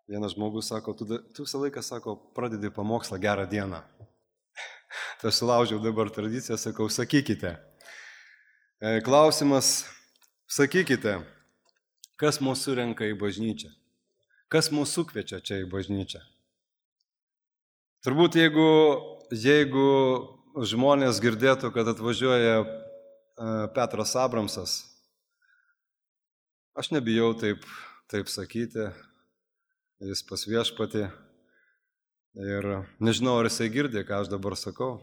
Vienas žmogus sako, tu visą laiką, sako, pradedi pamokslą gerą dieną. Tai aš sulaužiau dabar tradiciją, sakau, sakykite. Klausimas, sakykite, kas mūsų surenka į bažnyčią? Kas mūsų sukviečia čia į bažnyčią? Turbūt jeigu žmonės girdėtų, kad atvažiuoja Petras Abramsas, aš nebijau taip sakyti, jis pas Viešpatį ir nežinau, ar jisai girdė, ką aš dabar sakau,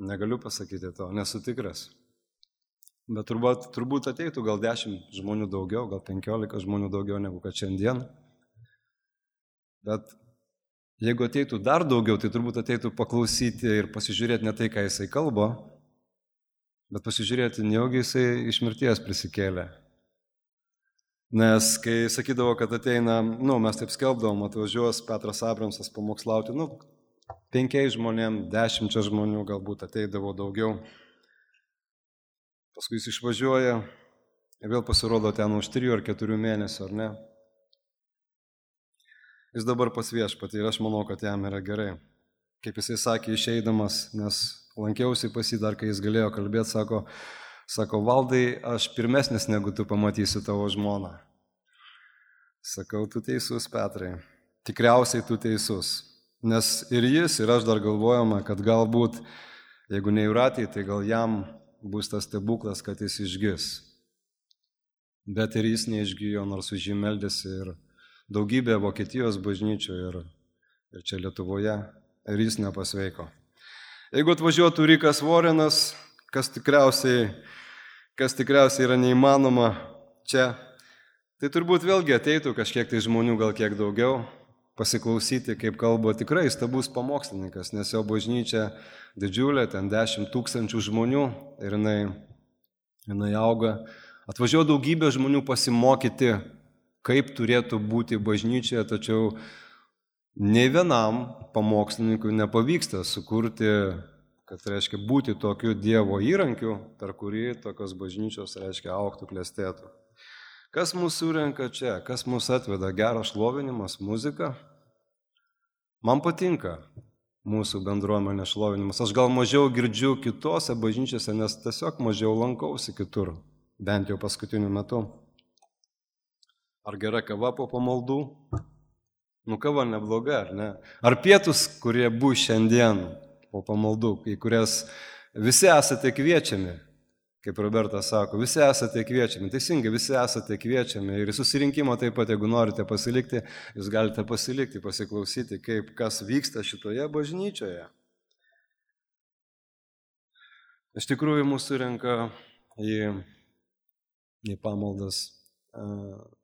negaliu pasakyti to, nesu tikras. Bet turbūt ateitų gal 10 žmonių daugiau, gal 15 žmonių daugiau negu kad šiandien. Bet jeigu ateitų dar daugiau, tai turbūt ateitų paklausyti ir pasižiūrėti ne tai, ką jisai kalba, bet pasižiūrėti, nejaugi jisai iš mirties prisikėlė. Nes kai sakydavo, kad ateina, mes taip skelbdavom, atvažiuos Petras Abramsas pamokslauti, 5 žmonėm, 10 žmonių galbūt ateidavo daugiau. Paskui jis išvažiuoja ir vėl pasirodo ten už 3 ar 4 mėnesių, ar ne? Jis dabar pas Viešpatį ir aš manau, kad jam yra gerai. Kaip jisai sakė išeidamas, nes lankiausi pas jį dar, kai jis galėjo kalbėti, sako, Valdai, aš pirmesnis negu tu pamatysiu tavo žmoną. Sakau, tu teisus, Petrai. Tikriausiai tu teisus. Nes ir jis, ir aš dar galvojame, kad galbūt, jeigu ne Jūratei, tai gal jam bus tas stebuklas, kad jis išgis. Bet ir jis neišgijo, nors už jį meldėsi ir daugybė Vokietijos bažnyčių ir čia Lietuvoje, ir jis nepasveiko. Jeigu atvažiuotų Rikas Vorenas, kas tikriausiai yra neįmanoma čia, tai turbūt vėlgi ateitų kažkiek tai žmonių, gal kiek daugiau, pasiklausyti, kaip kalba tikrai įstabus pamokslininkas, nes jo bažnyčia didžiulė, ten 10 000 žmonių ir jinai auga. Atvažiuoja daugybė žmonių pasimokyti, kaip turėtų būti bažnyčioje, tačiau nei vienam pamokslininkui nepavyksta sukurti, kad reiškia būti tokiu Dievo įrankiu, per kurį tokios bažnyčios, reiškia, augtų, klestėtų. Kas mūsų surenka čia, kas mūsų atveda? Geras šlovinimas, muzika. Man patinka mūsų bendruomenė šlovinimas. Aš gal mažiau girdžiu kitose bažnyčiose, nes tiesiog mažiau lankausi kitur, bent jau paskutiniu metu. Ar gera kava po pamaldų? Kava nebloga, ar ne? Ar pietus, kurie bus šiandien po pamaldų, į kurias visi esate kviečiami, kaip Robertas sako, visi esate kviečiami, teisingai, visi esate kviečiami ir susirinkimo taip pat, jeigu norite pasilikti, jūs galite pasilikti, pasiklausyti, kas vyksta šitoje bažnyčioje. Iš tikrųjų, mūsų surenka į pamaldas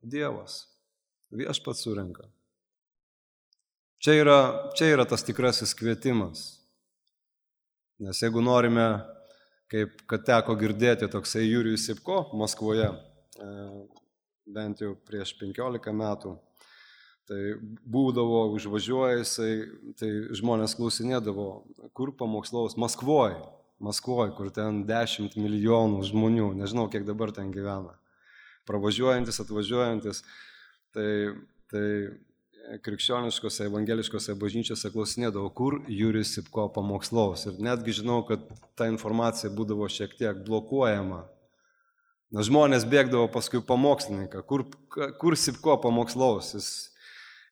Dievas, Viešpats surenka. Čia yra tas tikrasis kvietimas. Nes jeigu norime, kaip kad teko girdėti toksai Jurijus Sipko Maskvoje, bent jau prieš 15 metų, tai būdavo, užvažiuoja jisai, tai žmonės klausinėdavo, kur pamokslaus? Maskvoje, kur ten 10 milijonų žmonių, nežinau, kiek dabar ten gyvena. Pravažiuojantis, atvažiuojantis, tai krikščioniškose, evangeliškose bažnyčiose klausinėdavo, kur Jurijus Sipko pamokslaus. Ir netgi žinau, kad ta informacija būdavo šiek tiek blokuojama. Nes žmonės bėgdavo paskui pamokslininką, kur Sipko pamokslaus.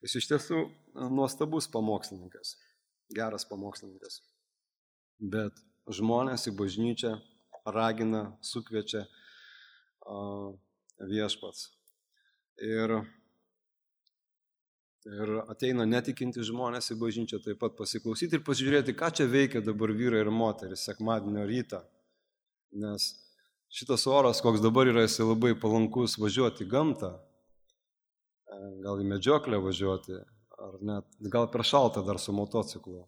Jis iš tiesų nuostabus pamokslininkas, geras pamokslininkas. Bet žmonės į bažnyčią ragina, sukviečia Viešpats. Ir ateina netikinti žmonės į bažnyčią taip pat pasiklausyti ir pasižiūrėti, ką čia veikia dabar vyrai ir moteris sekmadienio rytą. Nes šitas oras, koks dabar yra, jis labai palankus važiuoti į gamtą, gal į medžioklę važiuoti, ar net gal per šaltą dar su motociklu.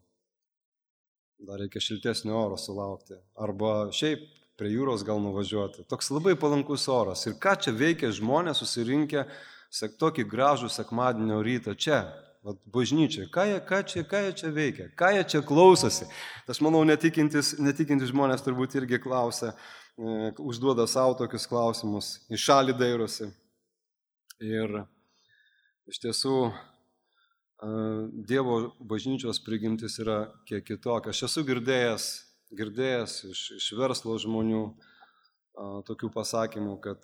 Dar reikia šiltesnio oro sulaukti. Arba šiaip prie jūros gal nuvažiuoti. Toks labai palankus oras. Ir ką čia veikia žmonės susirinkę tokį gražų sekmadienio rytą čia, bažnyčiai. Ką jie čia veikia? Ką jie čia klausosi? Aš manau, netikintis žmonės turbūt irgi klausia, užduoda savo tokius klausimus, į šalį dairosi. Ir iš tiesų Dievo bažnyčios prigimtis yra kiek kitokia. Aš esu girdėjęs iš verslo žmonių tokių pasakymų, kad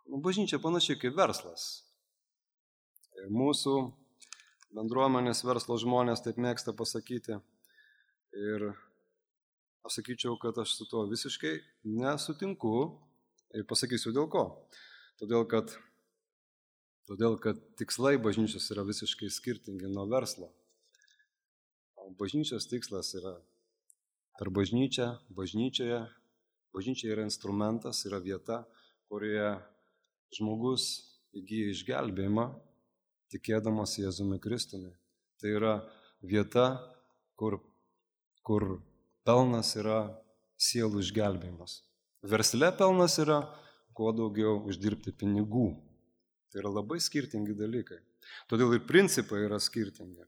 bažnyčia panašiai kaip verslas. Ir mūsų bendruomenės verslo žmonės taip mėgsta pasakyti. Ir aš sakyčiau, kad aš su tuo visiškai nesutinku ir pasakysiu dėl ko. Todėl, kad tikslai bažnyčios yra visiškai skirtingi nuo verslo. Bažnyčios tikslas yra per bažnyčią, bažnyčia yra instrumentas, yra vieta, kurioje žmogus įgyja išgelbėjimą, tikėdamas Jėzumi Kristumi. Tai yra vieta, kur pelnas yra sielų išgelbėjimas. Versle pelnas yra kuo daugiau uždirbti pinigų. Tai yra labai skirtingi dalykai. Todėl ir principai yra skirtingi.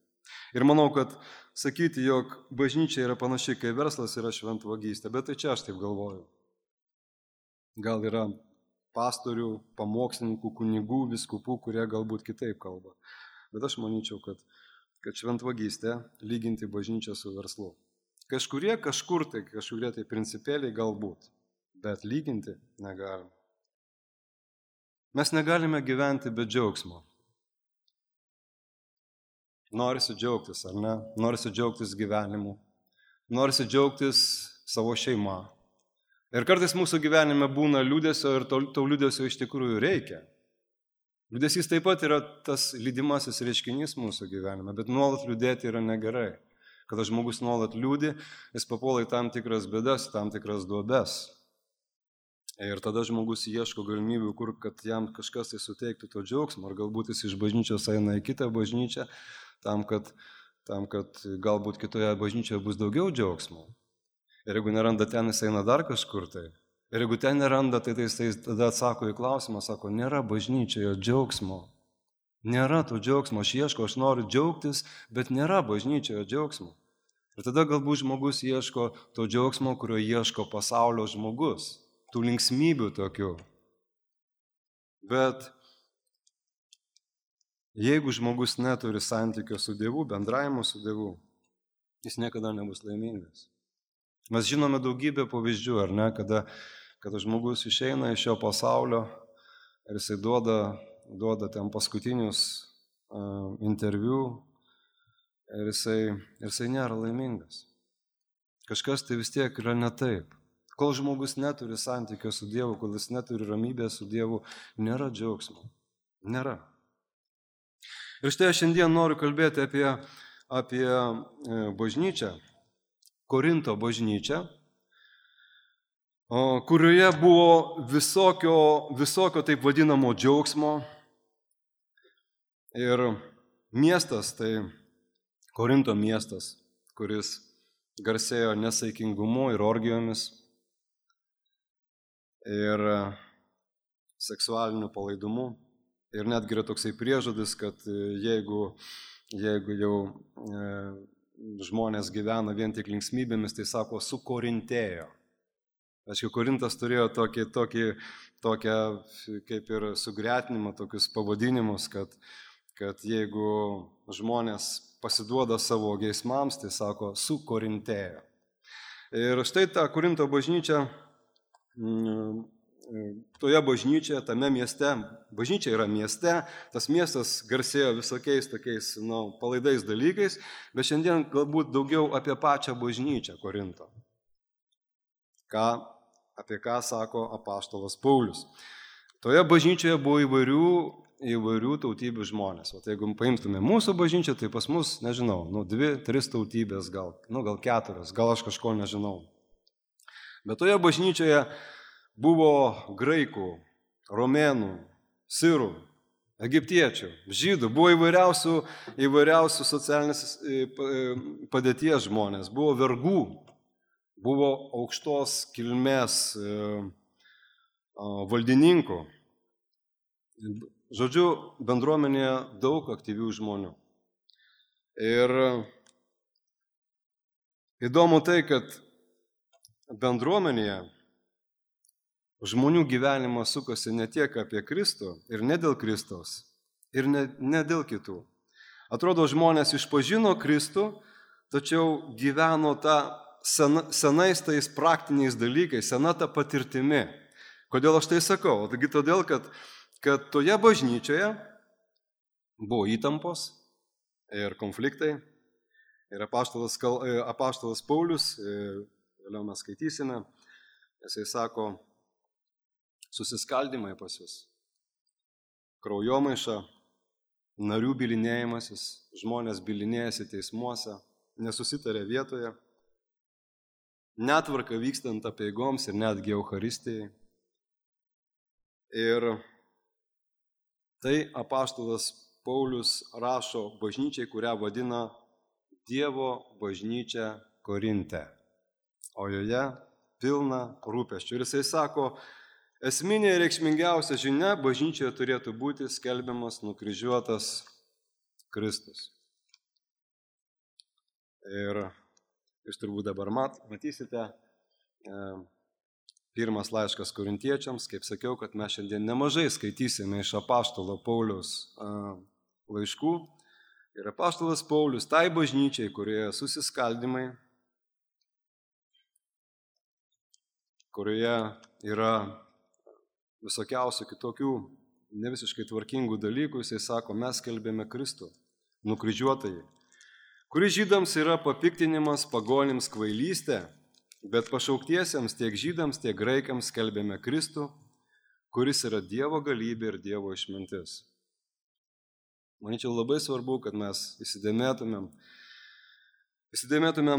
Ir manau, kad sakyti, jog bažnyčia yra panašiai kaip verslas, yra šventvagystė. Bet tai čia aš taip galvoju. Gal yra pastorių, pamokslininkų, kunigų, vyskupų, kurie galbūt kitaip kalba. Bet aš manyčiau, kad šventvagystė lyginti bažnyčią su verslu. Kažkurie tai principėliai galbūt, bet lyginti negalim. Mes negalime gyventi be džiaugsmo. Norisi džiaugtis, ar ne? Norisi džiaugtis gyvenimu. Norisi džiaugtis savo šeima. Ir kartais mūsų gyvenime būna liūdesio ir to liūdesio iš tikrųjų reikia. Liūdesys taip pat yra tas lydimasis reiškinys mūsų gyvenime, bet nuolat liūdėti yra negerai. Kada žmogus nuolat liūdi, jis papuola į tam tikras bėdas, tam tikras duobes. Ir tada žmogus ieško galimybių, kad jam kažkas tai suteiktų to džiaugsmo, ar galbūt jis iš bažnyčios eina į kitą bažnyčią, tam, kad galbūt kitoje bažnyčioje bus daugiau džiaugsmo. Ir jeigu neranda ten, jis eina dar kažkur tai. Ir jeigu ten neranda, tai jis tada atsako į klausimą, sako, nėra bažnyčioje džiaugsmo. Nėra to džiaugsmo, aš ieško, aš noriu džiaugtis, bet nėra bažnyčioje džiaugsmo. Ir tada galbūt žmogus ieško to džiaugsmo, kurio ieško pasaulio žmogus. Tų linksmybių tokių. Bet jeigu žmogus neturi santykio su Dievu, bendravimo su Dievu, jis niekada nebus laimingas. Mes žinome daugybę pavyzdžių, ar ne, kada žmogus išeina iš šio pasaulio ir jisai duoda ten paskutinius interviu ir jisai nėra laimingas. Kažkas tai vis tiek yra ne taip. Kol žmogus neturi santykio su Dievu, kol jis neturi ramybės su Dievu, nėra džiaugsmo. Nėra. Ir štai aš šiandien noriu kalbėti apie bažnyčią, Korinto bažnyčią, kurioje buvo visokio taip vadinamo džiaugsmo. Ir miestas, tai Korinto miestas, kuris garsėjo nesaikingumu ir orgijomis ir seksualiniu palaidumu. Ir netgi yra toksai priežodis, kad jeigu jau žmonės gyvena vien tik linksmybėmis, tai sako, sukorintėjo. Aišku, Korintas turėjo tokią kaip ir sugretinimą, tokius pavadinimus, kad jeigu žmonės pasiduoda savo geismams, tai sako, sukorintėjo. Ir štai ta Korinto bažnyčia, toje bažnyčioje, tame mieste, bažnyčia yra mieste, tas miestas garsėjo visokiais tokiais palaidais dalykais, bet šiandien galbūt daugiau apie pačią bažnyčią Korinto. Apie ką sako apaštalas Paulius. Toje bažnyčioje buvo įvairių tautybių žmonės. O jeigu paimtume mūsų bažnyčią, tai pas mus, nežinau, 2-3 tautybės, gal 4, gal aš kažko nežinau. Bet toje bažnyčioje buvo graikų, romėnų, sirų, egiptiečių, žydų, buvo įvairiausių socialinės padėties žmonės, buvo vergų, buvo aukštos kilmės valdininkų. Žodžiu, bendruomenėje daug aktyvių žmonių. Ir įdomu tai, kad bendruomenėje žmonių gyvenimas sukasi ne tiek apie Kristų ir ne dėl Kristaus, ir ne dėl kitų. Atrodo, žmonės išpažino Kristų, tačiau gyveno tą senais tais praktiniais dalykais, sena ta patirtimi. Kodėl aš tai sakau? Taigi todėl, kad toje bažnyčioje buvo įtampos ir konfliktai. Ir apaštalas Paulius, vėliau mes skaitysime, jisai sako, susiskaldimai pas jūs, kraujomaiša, narių bylinėjimasis, žmonės bylinėjasi teismuose, nesusitarė vietoje, netvarka vykstant apeigoms ir netgi Eucharistijai. Ir tai apaštalas Paulius rašo bažnyčiai, kurią vadina Dievo bažnyčia Korinte, o joje pilna rūpesčių. Ir jisai sako, esminė ir reikšmingiausia žinia bažnyčioje turėtų būti skelbiamas nukryžiuotas Kristus. Ir jūs turbūt dabar matysite pirmas laiškas korintiečiams, kaip sakiau, kad mes šiandien nemažai skaitysime iš apaštalo Pauliaus laiškų. Ir apaštalas Paulius tai bažnyčiai, kurioje susiskaldimai, kurioje yra visokiausių kitokių nevisiškai tvarkingų dalykų, jisai sako, mes skelbėme Kristų, nukryžiuotąjį, kuris žydams yra papiktinimas, pagonims kvailystė, bet pašauktiesiems tiek žydams, tiek graikams skelbėme Kristų, kuris yra Dievo galybė ir Dievo išmintis. Manyčiau, labai svarbu, kad mes įsidėmėtumėm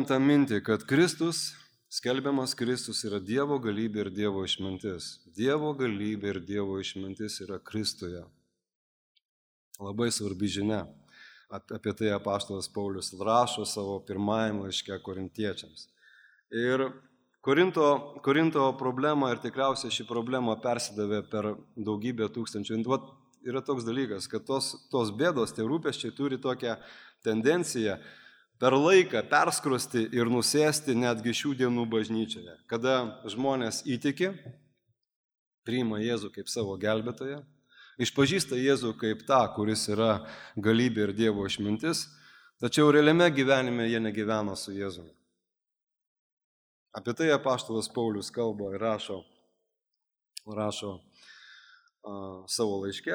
tą mintį, kad Kristus, skelbiamas Kristus yra Dievo galybė ir Dievo išmintis. Dievo galybė ir Dievo išmintis yra Kristuje. Labai svarbi žinia. Apie tai apaštalas Paulius rašo savo pirmajame laiške korintiečiams. Ir Korinto problema, ir tikriausiai ši problema persidavė per daugybę tūkstančių. Yra toks dalykas, kad tos bėdos, tie rūpesčiai turi tokią tendenciją per laiką perskrosti ir nusėsti netgi šių dienų bažnyčioje. Kada žmonės įtiki, priima Jėzų kaip savo gelbėtoją, išpažįsta Jėzų kaip tą, kuris yra galybė ir Dievo išmintis, tačiau realiame gyvenime jie negyvena su Jėzumi. Apie tai apaštalas Paulius kalba ir rašo savo laiške,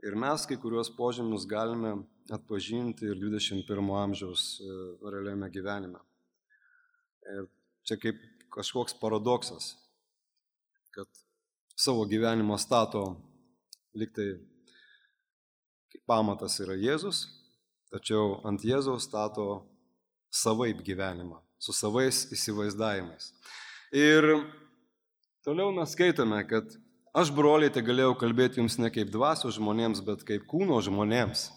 ir mes kai kuriuos požymius galime atpažinti ir 21 amžiaus realiame gyvenime. Ir čia kaip kažkoks paradoksas, kad savo gyvenimą stato liktai kaip pamatas yra Jėzus, tačiau ant Jėzaus stato savaip gyvenimą, su savais įsivaizdavimais. Ir toliau mes skaitome, kad aš, broliai, tai galėjau kalbėti jums ne kaip dvasios žmonėms, bet kaip kūno žmonėms,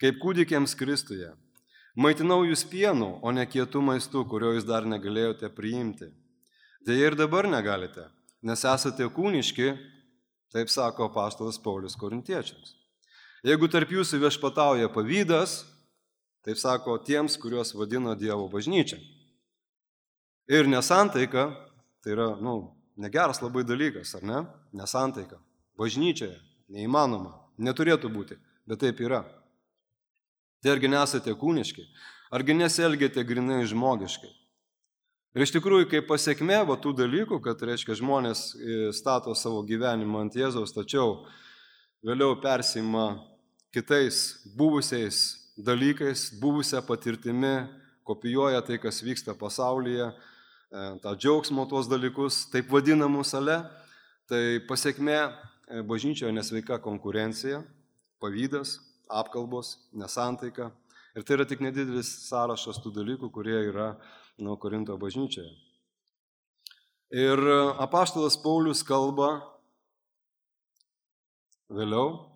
kaip kūdikiams Kristuje. Maitinau jūs pienu, o ne kietų maistų, kurio jūs dar negalėjote priimti. Deja ir dabar negalite, nes esate kūniški, taip sako apaštalas Paulius korintiečiams. Jeigu tarp jūsų viešpatauja pavydas, taip sako tiems, kuriuos vadina Dievo bažnyčia. Ir nesantaika, tai yra, negeras labai dalykas, ar ne? Nesantaika. Bažnyčioje neįmanoma, neturėtų būti, bet taip yra. Tai argi nesate kūniški, argi nesielgiate grinai žmogiškai. Ir iš tikrųjų, kaip pasiekmė tų dalykų, kad reiškia žmonės stato savo gyvenimą ant Jėzaus, tačiau vėliau persima kitais buvusiais dalykais, buvusią patirtimi, kopijuoja tai, kas vyksta pasaulyje, tą džiaugsmo tuos dalykus, taip vadinamų sale, tai pasiekmė bažnyčioje nesveika konkurencija, pavydas, apkalbos, nesantaika. Ir tai yra tik nedidelis sąrašas tų dalykų, kurie yra Korinto bažnyčioje. Ir apaštalas Paulius kalba vėliau,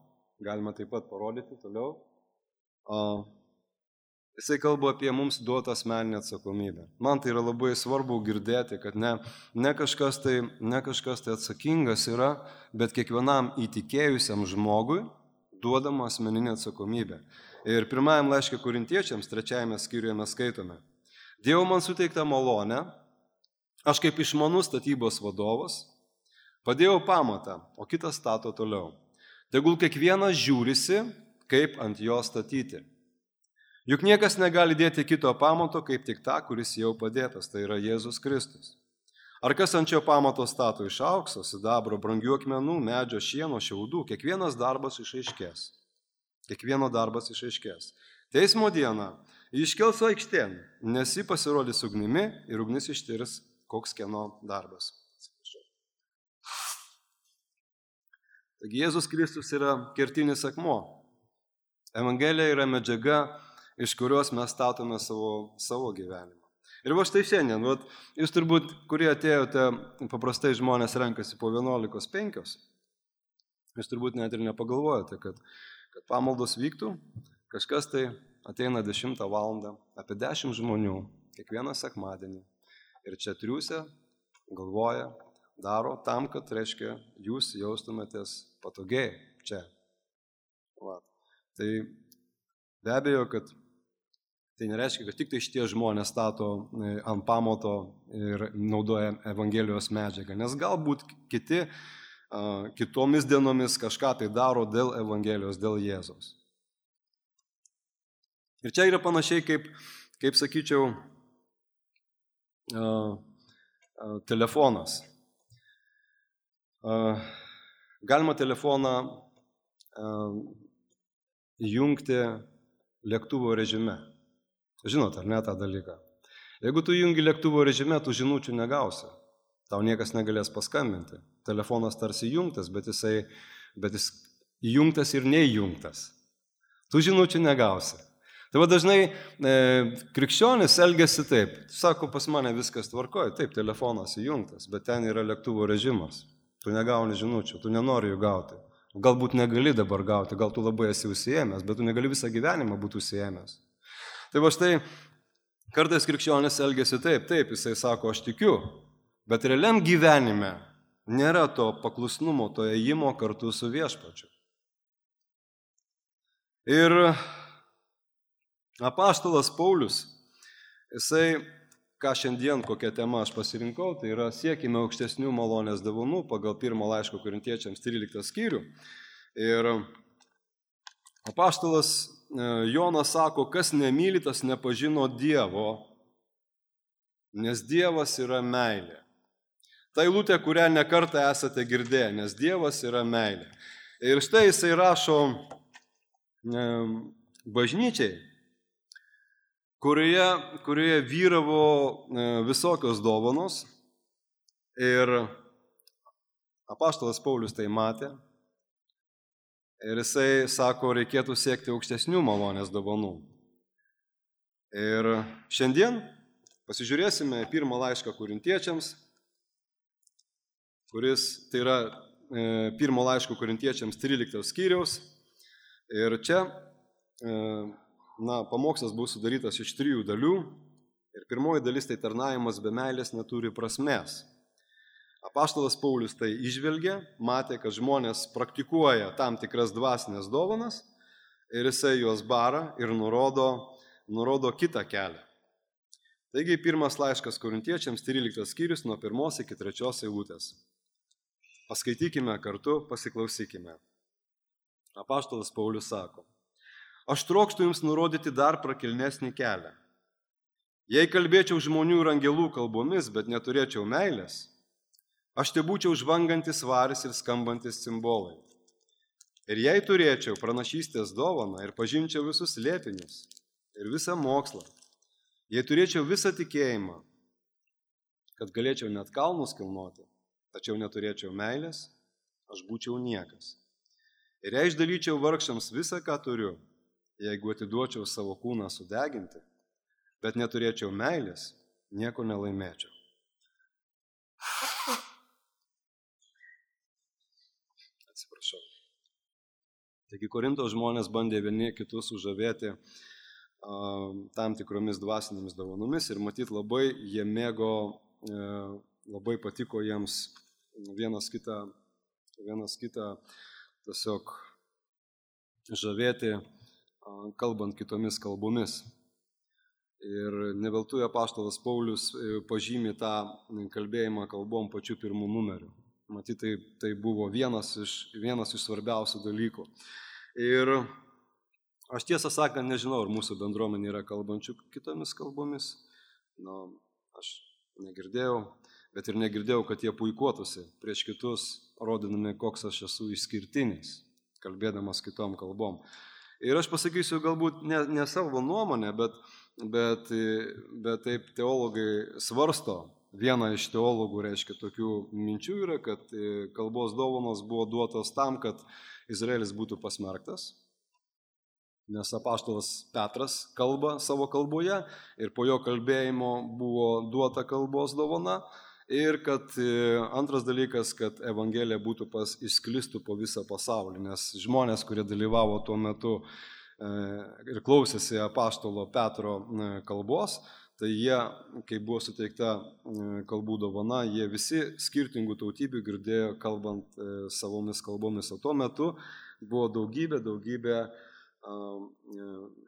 galima taip pat parodyti toliau, jisai kalba apie mums duotą asmeninę atsakomybę. Man tai yra labai svarbu girdėti, kad ne kažkas tai atsakingas yra, bet kiekvienam įtikėjusiam žmogui duodama asmeninė atsakomybė. Ir pirmajam laiške korintiečiams, 3 skyriuje mes skaitome: Dievo man suteikta malonė, aš kaip išmanus statybos vadovas, padėjau pamatą, o kitas stato toliau. Tegul kiekvienas žiūrisi, kaip ant jo statyti. Juk niekas negali dėti kito pamato, kaip tik tą, kuris jau padėtas, tai yra Jėzus Kristus. Ar kas ant šio pamato stato iš aukso, sidabro, brangių akmenų, medžio, šieno, šiaudų, kiekvienas darbas išaiškės. Kiekvieno darbas išaiškės. Teismo dieną jį iškels aikštėn, nes jį pasirodys ugnimi ir ugnis ištirs, koks kieno darbas. Taigi Jėzus Kristus yra kertinis akmuo. Evangelija yra medžiaga, iš kurios mes statome savo gyvenimą. Ir va štai šiandien, jūs turbūt, kurie atėjote, paprastai žmonės renkasi po 11:05, jūs turbūt net ir nepagalvojate, kad pamaldos vyktų, kažkas tai ateina 10 valandą, apie 10 žmonių, kiekvieną sekmadienį. Ir čia triūsia, galvoja, daro tam, kad, reiškia, jūs jaustumėtės patogiai čia. Va. Tai be abejo, kad tai nereiškia, kad tik tai šitie žmonės stato ant pamato ir naudoja Evangelijos medžiagą, nes galbūt kitomis dienomis kažką tai daro dėl Evangelijos, dėl Jėzaus. Ir čia yra panašiai kaip sakyčiau, telefonas. Galima telefoną įjungti lėktuvo režime. Žinot, ar ne tą dalyką? Jeigu tu įjungi lėktuvo režime, tu žinučių negausi. Tau niekas negalės paskambinti. Telefonas tarsi įjungtas, bet jis įjungtas ir neįjungtas. Tu žinučių negausi. Tai va dažnai krikščionis elgiasi taip. Sako, pas mane viskas tvarkoja. Taip, telefonas įjungtas, bet ten yra lėktuvo režimas. Tu negauni žinučių, tu nenori jų gauti. Galbūt negali dabar gauti, gal tu labai esi užsiėmęs, bet tu negali visą gyvenimą būti užsiėmęs. Tai va štai, kartais krikščionis elgiasi taip, jisai sako, aš tikiu, bet realiam gyvenime nėra to paklusnumo, to ėjimo kartu su viešpačiu. Ir apaštalas Paulius, jisai, ką šiandien, kokią temą aš pasirinkau, tai yra siekime aukštesnių malonės dovanų pagal 1 laiško Korintiečiams 13 skyrių. Ir apaštalas Jonas sako, kas nemyli, tas nepažino Dievo, nes Dievas yra meilė. Tai eilutė, kurią nekartą esate girdėję, nes Dievas yra meilė. Ir štai jisai rašo bažnyčiai, kurioje vyravo visokios dovanos. Ir apaštalas Paulius tai matė. Ir jisai sako, reikėtų siekti aukštesnių malonės dovanų. Ir šiandien pasižiūrėsime 1 laišką Korintiečiams, kuris tai yra 1 laiško Korintiečiams 13 skyriaus. Ir čia pamokslas bus sudarytas iš 3 dalių. Ir pirmoji dalis tai tarnavimas be meilės neturi prasmės. Apaštalas Paulius tai išvelgė, matė, kad žmonės praktikuoja tam tikras dvasinės dovanas ir jisai juos bara ir nurodo kitą kelią. Taigi 1 laiškas Korintiečiams 13 skyrius nuo 1 iki 3 eilutės. Paskaitykime kartu, pasiklausykime. Apaštalas Paulius sako, aš trokštu jums nurodyti dar prakilnesnį kelią. Jei kalbėčiau žmonių ir angelų kalbomis, bet neturėčiau meilės, aš te būčiau žvangantis varis ir skambantis cimbolai. Ir jei turėčiau pranašystės dovaną ir pažinčiau visus slėpinius ir visą mokslą, jei turėčiau visą tikėjimą, kad galėčiau net kalnus kilnoti, tačiau neturėčiau meilės, aš būčiau niekas. Ir jei išdalyčiau vargšams visą, ką turiu, jeigu atiduočiau savo kūną sudeginti, bet neturėčiau meilės, nieko nelaimėčiau. Atsiprašau. Taigi Korinto žmonės bandė vieni kitus sužavėti tam tikromis dvasinėmis dovanomis ir matyt labai jie mėgo, labai patiko jiems vienas kitą tiesiog žavėti, kalbant kitomis kalbomis. Ir neveltui apaštalas Paulius pažymi tą kalbėjimą kalbom pačiu pirmu numeriu. matyt, tai buvo vienas iš svarbiausių dalykų. Ir aš tiesą sakant nežinau, ar mūsų bendruomenė yra kalbančių kitomis kalbomis. Aš negirdėjau, bet ir negirdėjau, kad jie puikuotųsi prieš kitus, rodinami, koks aš esu išskirtinis, kalbėdamas kitom kalbom. Ir aš pasakysiu galbūt ne savo nuomonę, bet taip teologai svarsto. Viena iš teologų, reiškia, tokių minčių yra, kad kalbos dovanos buvo duotos tam, kad Izraelis būtų pasmerktas, nes apaštalas Petras kalba savo kalboje ir po jo kalbėjimo buvo duota kalbos dovana. Ir kad antras dalykas, kad evangelija būtų išsklistų po visą pasaulį, nes žmonės, kurie dalyvavo tuo metu ir klausėsi apaštalo Petro kalbos, tai jie, kai buvo suteikta kalbų dovana, jie visi skirtingų tautybių girdėjo kalbant savomis kalbomis. O tuo metu buvo daugybė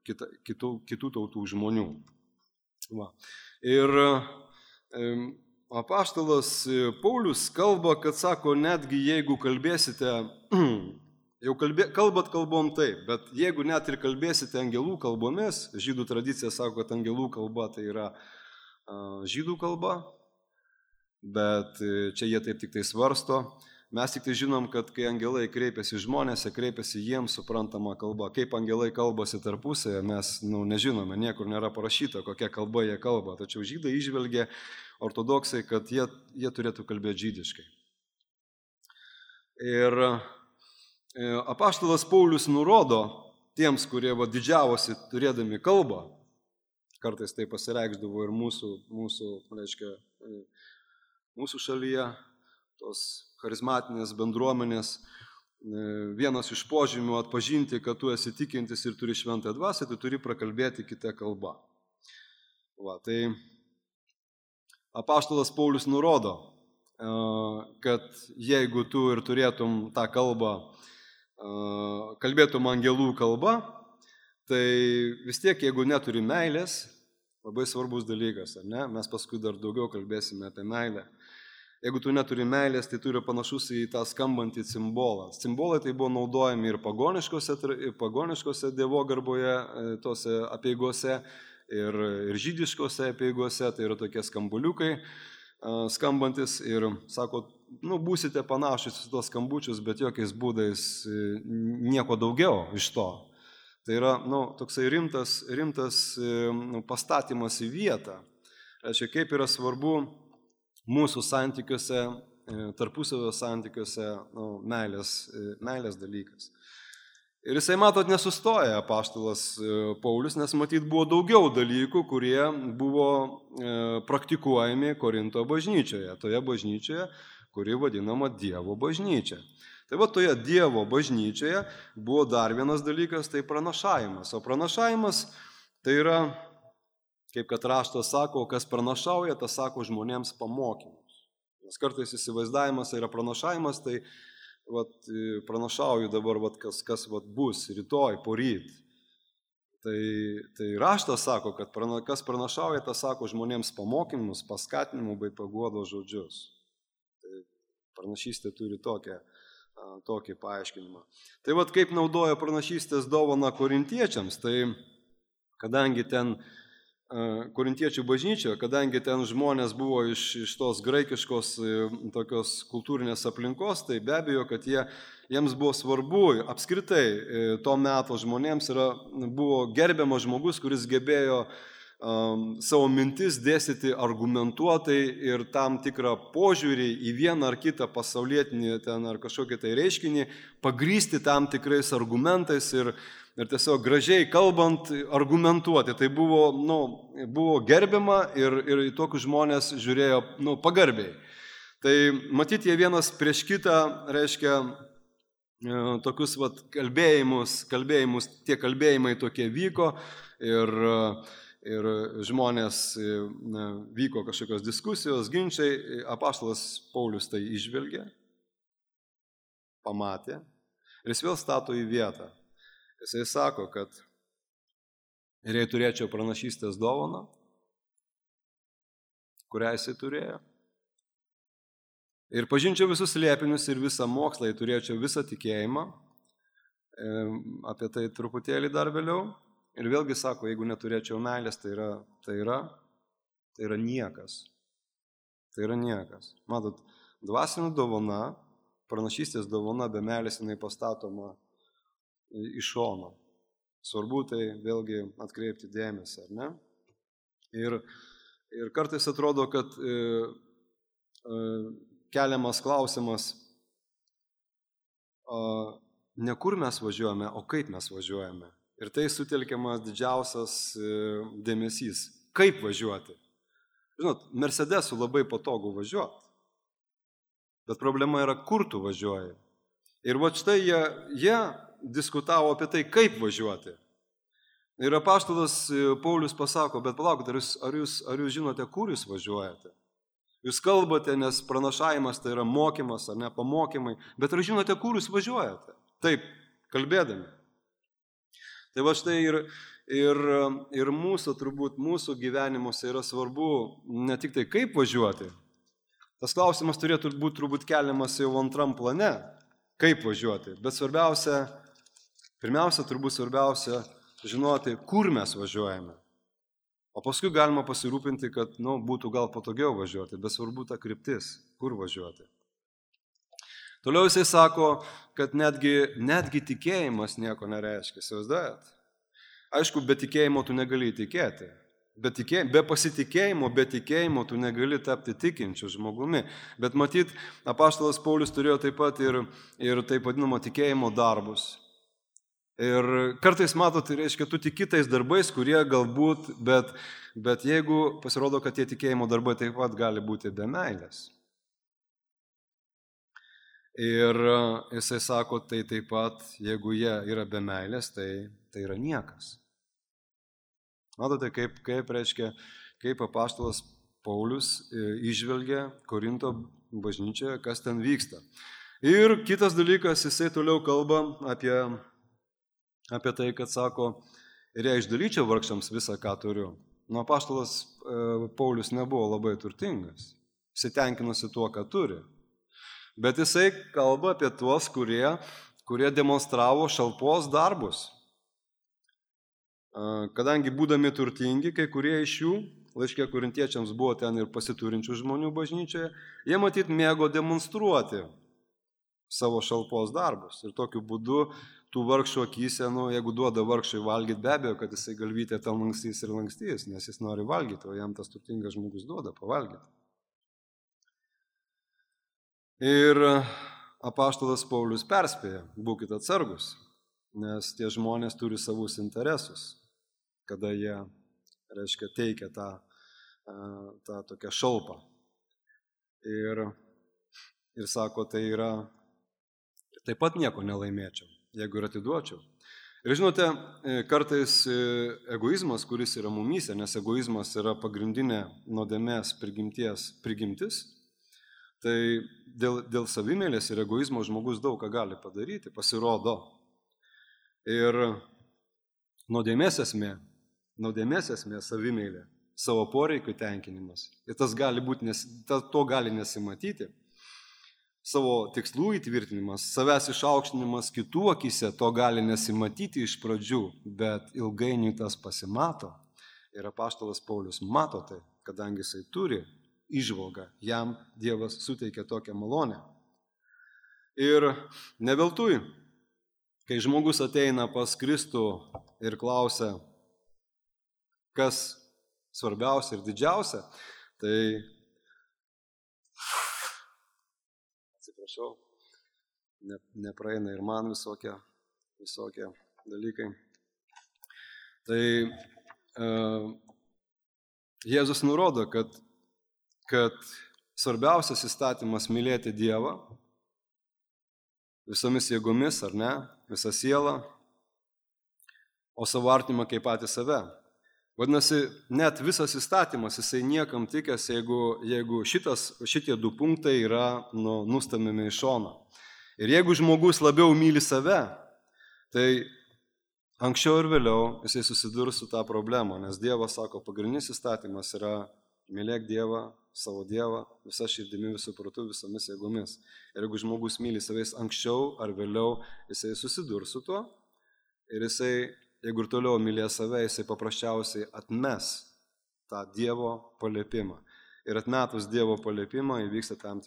kitų tautų žmonių. Va. Ir apaštalas Paulius kalba, kad sako, netgi jeigu kalbėsite, kalbat kalbom taip, bet jeigu net ir kalbėsite angelų kalbomis, žydų tradicija sako, kad angelų kalba tai yra žydų kalba, bet čia jie taip tik tai svarsto. Mes tik tai žinom, kad kai angelai kreipiasi žmonėse, kreipiasi jiems suprantama kalba. Kaip angelai kalbasi tarpusėje, mes nežinome, niekur nėra parašyta, kokia kalba jie kalba. Tačiau žydai įžvelgė ortodoksai, kad jie turėtų kalbėti žydiškai. Ir apaštalas Paulius nurodo tiems, kurie didžiavosi turėdami kalbą, kartais tai pasireikšdavo ir mūsų šalyje, tos charizmatinės bendruomenės, vienas iš požymių atpažinti, kad tu esi tikintis ir turi šventąją dvasią, tu turi prakalbėti kitą kalbą. Tai apaštalas Paulius nurodo, kad jeigu tu ir turėtum tą kalbą, kalbėtum angelų kalba, tai vis tiek, jeigu neturi meilės, labai svarbus dalykas, ar ne? Mes paskui dar daugiau kalbėsime apie meilę. Jeigu tu neturi meilės, tai turi panašus į tą skambantį cimbolą. Cimbolai tai buvo naudojami ir pagoniškose dievogarboje, tose apeigose, ir žydiškose apeigose, tai yra tokie skambuliukai skambantis ir sako, būsite panašus į tos skambučius, bet jokiais būdais nieko daugiau iš to. Tai yra toksai rimtas pastatymas į vietą. Reiškia, kaip yra svarbu mūsų santykiuose, tarpusavio santykiuose meilės dalykas. Ir jisai, matot, nesustoja apaštalas Paulius, nes matyt buvo daugiau dalykų, kurie buvo praktikuojami Korinto bažnyčioje, toje bažnyčioje, kuri vadinama Dievo bažnyčia. Tai toje Dievo bažnyčioje buvo dar vienas dalykas, tai pranašavimas. O pranašavimas tai yra, kaip kad raštas sako, kas pranašauja, tas sako žmonėms pamokymus. Nes kartais įsivaizdavimas yra pranašavimas, tai pranašauju dabar, kas bus rytoj, poryt. Tai raštas sako, kad kas pranašauja, tas sako žmonėms pamokymus, paskatinimų bei paguodos žodžius. Tai pranašystė turi tokį paaiškinimą. Tai kaip naudoja pranašystės dovaną korintiečiams, tai kadangi ten korintiečių bažnyčioje, kadangi ten žmonės buvo iš tos graikiškos tokios kultūrinės aplinkos, tai be abejo, kad jiems buvo svarbu, apskritai to meto žmonėms buvo gerbiamas žmogus, kuris gebėjo savo mintis dėstyti argumentuotai ir tam tikrą požiūrį į vieną ar kitą pasaulietinį ar kažkokį tai reiškinį pagrįsti tam tikrais argumentais ir tiesiog gražiai kalbant argumentuoti. Tai buvo gerbiama ir į tokius žmonės žiūrėjo pagarbiai. Tai matyti jie vienas prieš kitą, reiškia, tokius kalbėjimus, tie kalbėjimai tokie vyko ir žmonės vyko kažkokios diskusijos, ginčiai, apaštalas Paulius tai išvelgė, pamatė ir jis vėl stato į vietą. Jisai sako, kad ir jei turėčiau pranašystės dovaną, kurią jisai turėjo, Ir pažinčiau visus slėpinius ir visą mokslą, ir turėčiau visą tikėjimą, apie tai truputėlį dar vėliau. Ir vėlgi sako, jeigu neturėčiau meilės, tai yra niekas. Tai yra niekas. Matot, dvasinė dovana, pranašystės dovana be meilės jinai pastatoma iš šono. Svarbu tai vėlgi atkreipti dėmesį, ar ne? Ir kartais atrodo, kad keliamas klausimas, ne kur mes važiuojame, o kaip mes važiuojame. Ir tai sutelkiamas didžiausias dėmesys. Kaip važiuoti? Žinot, Mercedesu labai patogu važiuoti. Bet problema yra, kur tu važiuoji. Ir va štai jie diskutavo apie tai, kaip važiuoti. Ir apaštalas Paulius pasako, bet palaukite, ar jūs žinote, kur jūs važiuojate? Jūs kalbate, nes pranašavimas tai yra mokymas, ar ne, pamokymai, bet ar žinote, kur jūs važiuojate? Taip, kalbėdami. Tai va štai ir mūsų, turbūt, mūsų gyvenimuose yra svarbu ne tik tai kaip važiuoti. Tas klausimas turėtų būti turbūt keliamas jau antram plane, kaip važiuoti. Bet pirmiausia, žinoti, kur mes važiuojame. O paskui galima pasirūpinti, kad būtų gal patogiau važiuoti, bet svarbu ta kryptis, kur važiuoti. Toliau jisai sako, kad netgi tikėjimas nieko nereiškia. Įsivaizduojat? Aišku, be tikėjimo tu negali tikėti. Be pasitikėjimo, be tikėjimo tu negali tapti tikinčiu žmogumi. Bet matyt, apaštalas Paulius turėjo taip pat ir taip vadinamo tikėjimo darbus. Ir kartais matot, tai reiškia, tu tiki tais darbais, kurie galbūt, bet jeigu pasirodo, kad tie tikėjimo darbai taip pat gali būti be meilės. Ir jisai sako, tai taip pat, jeigu jie yra be meilės, tai yra niekas. Matote, kaip apaštalas Paulius įžvelgia Korinto bažnyčioje, kas ten vyksta. Ir kitas dalykas, jisai toliau kalba apie tai, kad sako, ir jei išdalyčiau vargšams visą, ką turiu. Apaštalas Paulius nebuvo labai turtingas, jisai tenkinasi tuo, ką turi. Bet jisai kalba apie tuos, kurie demonstravo šalpos darbus. Kadangi būdami turtingi, kai kurie iš jų, laiške korintiečiams buvo ten ir pasiturinčių žmonių bažnyčioje, jie matyt mėgo demonstruoti savo šalpos darbus. Ir tokiu būdu tų vargšų akyse, jeigu duoda vargšui valgyti, be abejo, kad jisai galvytė ten lankstys ir lankstys, nes jis nori valgyti, o jam tas turtingas žmogus duoda pavalgyti. Ir apaštalas Paulius perspėja, būkite atsargus, nes tie žmonės turi savus interesus, kada jie, reiškia, teikia tą tokią šalpą. Ir sako, tai yra, taip pat nieko nelaimėčiau, jeigu ir atiduočiau. Ir žinote, kartais egoizmas, kuris yra mumyse, nes egoizmas yra pagrindinė nuodėmės prigimtis, tai dėl savimėlės ir egoizmo žmogus daug ką gali padaryti, pasirodo. Ir nuodėmės esmė savimėlė, savo poreikių tenkinimas. Ir to gali nesimatyti. Savo tikslų įtvirtinimas, savęs išaukštinimas kitų akyse, to gali nesimatyti iš pradžių, bet ilgainiui tas pasimato. Ir apaštalas Paulius mato tai, kadangi jisai turi įžvalgą, jam Dievas suteikia tokią malonę. Ir ne veltui, kai žmogus ateina pas Kristų ir klausia, kas svarbiausia ir didžiausia, tai, atsiprašau, nepraeina ir man visokie dalykai. Tai Jėzus nurodo, kad svarbiausias įstatymas mylėti Dievą visomis jėgomis, ar ne, visą sielą, o savo artimą kaip patį save. Vadinasi, net visas įstatymas, jisai niekam tikęs, jeigu šitie du punktai yra nustamiami į šoną. Ir jeigu žmogus labiau myli save, tai anksčiau ir vėliau jisai susidurs su tą problemą, nes Dievas sako, pagrindinis įstatymas yra mylėk Dievą savo Dievą visą širdimi, visų protų, visomis jėgomis. Ir jeigu žmogus myli savais anksčiau ar vėliau, jisai susidurs su tuo. Ir jisai, jeigu ir toliau mylės save, jisai paprasčiausiai atmes tą Dievo paliepimą. Ir atmetus Dievo paliepimą įvyksta tam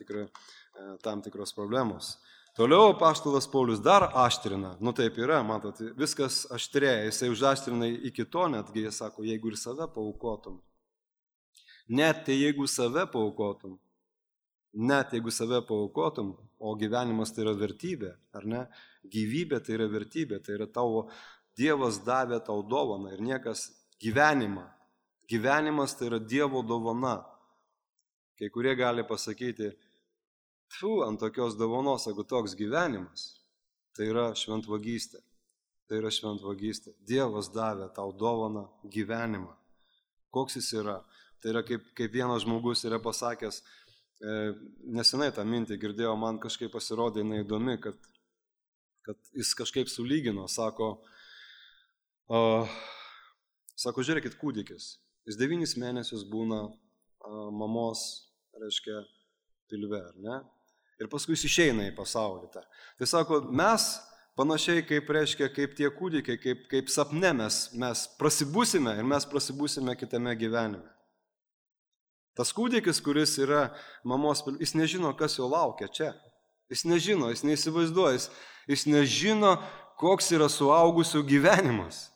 tikros problemos. Toliau apaštalas Paulius dar aštrina, taip yra, matot, viskas aštrėja, jisai užaštrina iki to, netgi jis sako, jeigu ir save paaukotum. Net jeigu save paaukotum, o gyvenimas tai yra vertybė, ar ne? Gyvybė tai yra vertybė, tai yra tavo Dievas davė tau dovaną ir niekas gyvenimas tai yra Dievo dovana. Kai kurie gali pasakyti, ant tokios dovanos, jeigu toks gyvenimas, tai yra šventvagystė. Dievas davė tau dovaną gyvenimą. Koks jis yra? Tai yra kaip vienas žmogus yra pasakęs, nesenai tą mintį girdėjau, man kažkaip pasirodė jinai įdomi, kad jis kažkaip sulygino, sako, žiūrėkit, kūdikis, jis 9 mėnesius būna mamos, reiškia, pilve, ar ne? Ir paskui jis išeina į pasaulį. Tai sako, mes panašiai kaip tie kūdikiai, kaip sapne mes prasibūsime ir mes prasibūsime kitame gyvenime. Tas kūdikis, kuris yra mamos pilve, jis nežino, kas jo laukia čia. Jis nežino, jis neįsivaizduoja, jis nežino, koks yra suaugusių gyvenimas.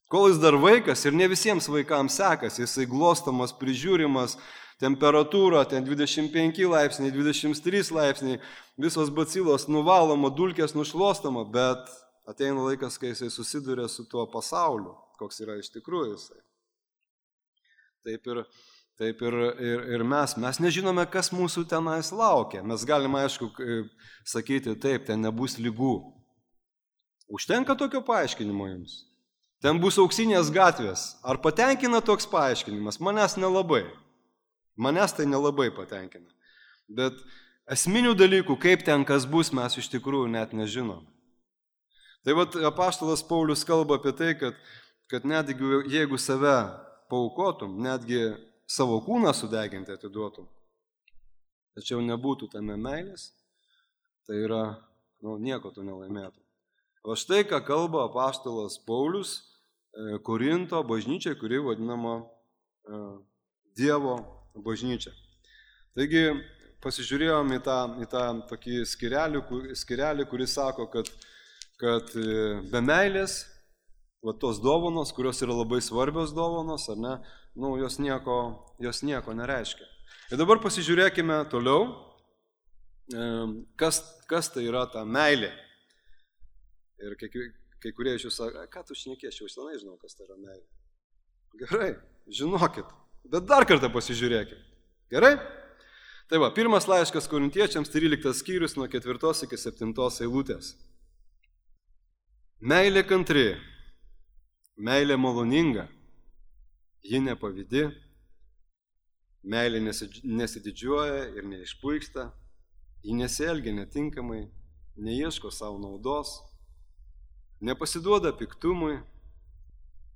Kol jis dar vaikas ir ne visiems vaikams sekasi, jisai glostomas, prižiūrimas, temperatūra, ten 25 laipsniai, 23 laipsniai, visos bacilos nuvaloma, dulkės nušluostama, bet ateina laikas, kai jisai susiduria su tuo pasauliu, koks yra iš tikrųjų jisai. Taip ir mes nežinome, kas mūsų tenais laukia. Mes galime, aišku, sakyti, taip, ten nebus ligų. Užtenka tokio paaiškinimo jums. Ten bus auksinės gatvės. Ar patenkina toks paaiškinimas? Manęs tai nelabai patenkina. Bet esminių dalykų, kaip ten kas bus, mes iš tikrųjų net nežinome. Tai vat apaštalas Paulius kalba apie tai, kad net jeigu save paaukotum, netgi savo kūną sudeginti atiduotum, tačiau nebūtų tame meilės, tai yra, nieko tu nelaimėtum. O štai, ką kalba apaštalas Paulius Korinto bažnyčiai, kuri vadinama Dievo bažnyčia. Taigi, pasižiūrėjom į tą tokį skirelį, kuris sako, kad be meilės, tos dovanos, kurios yra labai svarbios dovanos, ar ne, jos nieko nereiškia. Ir dabar pasižiūrėkime toliau, kas tai yra ta meilė. Ir kai kurie iš jūsų sako, ką tu šnekėsi, aš senai žinau, kas tai yra meilė. Gerai, žinokit, bet dar kartą pasižiūrėkime. Gerai? Tai va, pirmas laiškas Korintiečiams, 13 skyrius nuo 4 iki 7 eilutės. Meilė kantri. Meilė maloninga, ji nepavydi, meilė nesididžiuoja ir neišpuiksta, ji nesielgia netinkamai, neieško savo naudos, nepasiduoda piktumui,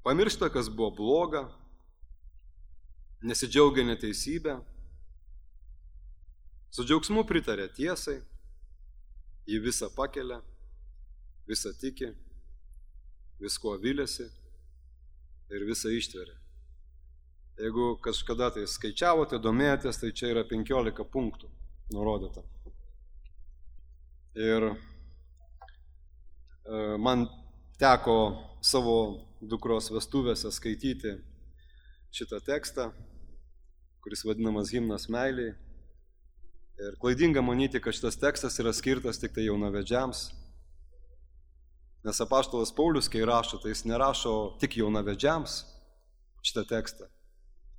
pamiršta, kas buvo bloga, nesidžiaugia neteisybę, su džiaugsmu pritarė tiesai, ji visą pakelia, visą tiki, visko viliasi ir visą ištveria. Jeigu kažkada tai skaičiavote, domėjotės, tai čia yra 15 punktų nurodyta. Ir man teko savo dukros vestuvėse skaityti šitą tekstą, kuris vadinamas Himnas meiliai. Ir klaidinga manyti, kad šitas tekstas yra skirtas tik tai jaunavedžiams. Nes apaštalas Paulius, kai rašo, tai jis nerašo tik jaunavedžiams šitą tekstą.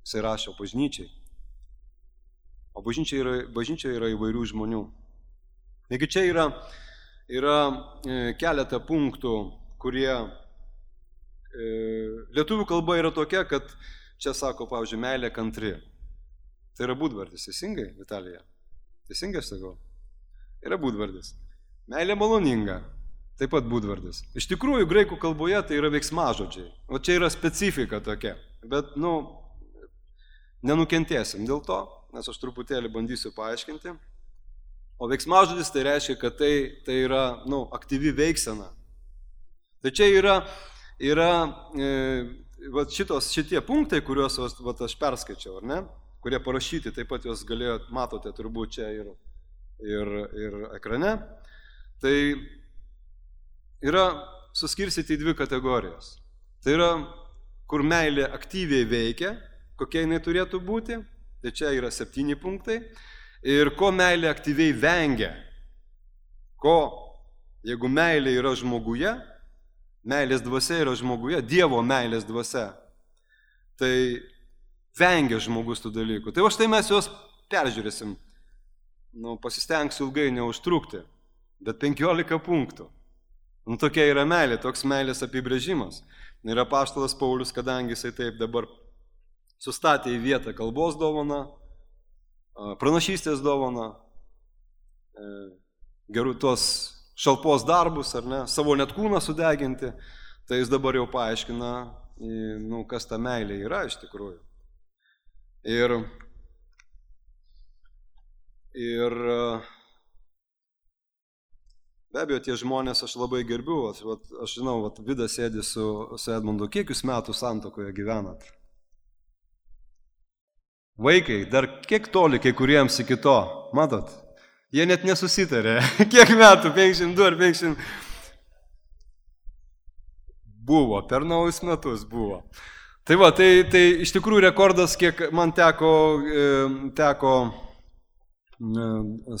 Jis rašo bažnyčiai. O bažnyčia yra įvairių žmonių. Taigi čia yra keletą punktų, kurie lietuvių kalba yra tokia, kad čia sako, pavyzdžiui, meilė kantri. Tai yra būdvardis, teisingai, Vitalija? Teisingai aš sakau? Yra būdvardis. Meilė maloninga, taip pat būdvardis. Iš tikrųjų, graikų kalboje tai yra veiksmažodžiai. O čia yra specifika tokia. Bet, nenukentėsim dėl to, nes aš truputėlį bandysiu paaiškinti. O veiksmažodis tai reiškia, kad tai yra aktyvi veiksena. Tai čia yra šitie punktai, kuriuos aš perskaičiau, ar ne? Kurie parašyti, taip pat juos matote turbūt čia ir ekrane. Tai yra suskirstyti į 2 kategorijas. Tai yra, kur meilė aktyviai veikia, kokia jinai turėtų būti, tai čia yra 7 punktai. Ir ko meilė aktyviai vengia. Jeigu meilė yra žmoguje, meilės dvasia yra žmoguje, Dievo meilės dvasia, tai vengia žmogus tų dalykų. Tai štai mes juos peržiūrėsim. Pasistengsiu ilgai neužtrukti, bet 15 punktų. Tokia yra meilė, toks meilės apibrėžimas. Ir apaštalas Paulius, kadangi jisai taip dabar sustatė į vietą kalbos dovaną, pranašystės dovaną, gerų tos šalpos darbus, ar ne, savo net kūną sudeginti, tai jis dabar jau paaiškina, kas ta meilė yra iš tikrųjų. Ir be abejo, tie žmonės aš labai gerbiu. Aš žinau, Vidas sėdi su Edmundu. Kiek jūs metų santuokoje gyvenat? Vaikai, dar kiek toli kai kuriems iki to, matot? Jie net nesusitarė. Kiek metų? 52 ar 50? Buvo, per naujus metus buvo. Tai iš tikrųjų rekordas, kiek man teko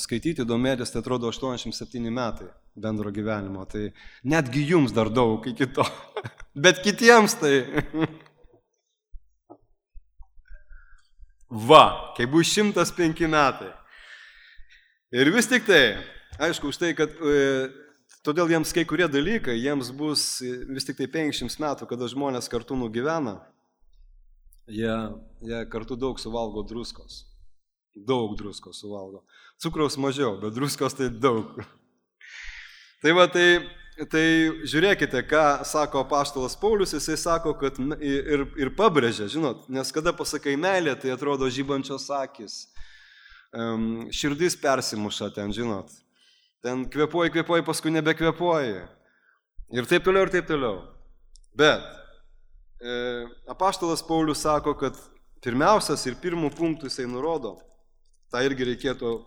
skaityti, domėtis, tai atrodo 87 metai bendro gyvenimo. Tai netgi jums dar daug iki to. Bet kitiems tai... kai bus 105 metai. Ir vis tik tai, aišku, už tai, kad todėl jiems kai kurie dalykai, jiems bus vis tik tai 500 metų, kada žmonės kartu nugyvena, jie kartu daug suvalgo druskos. Daug druskos suvalgo. Cukraus mažiau, bet druskos tai daug. Tai žiūrėkite, ką sako apaštalas Paulius, jisai sako, kad ir pabrėžia, žinot, nes kada pasakai meilė, tai atrodo žibančios akis, širdis persimuša ten, žinot, ten kvėpuoji, paskui nebekvėpuoji ir taip toliau. Bet apaštalas Paulius sako, kad pirmiausias ir pirmų punktų jisai nurodo, tą irgi reikėtų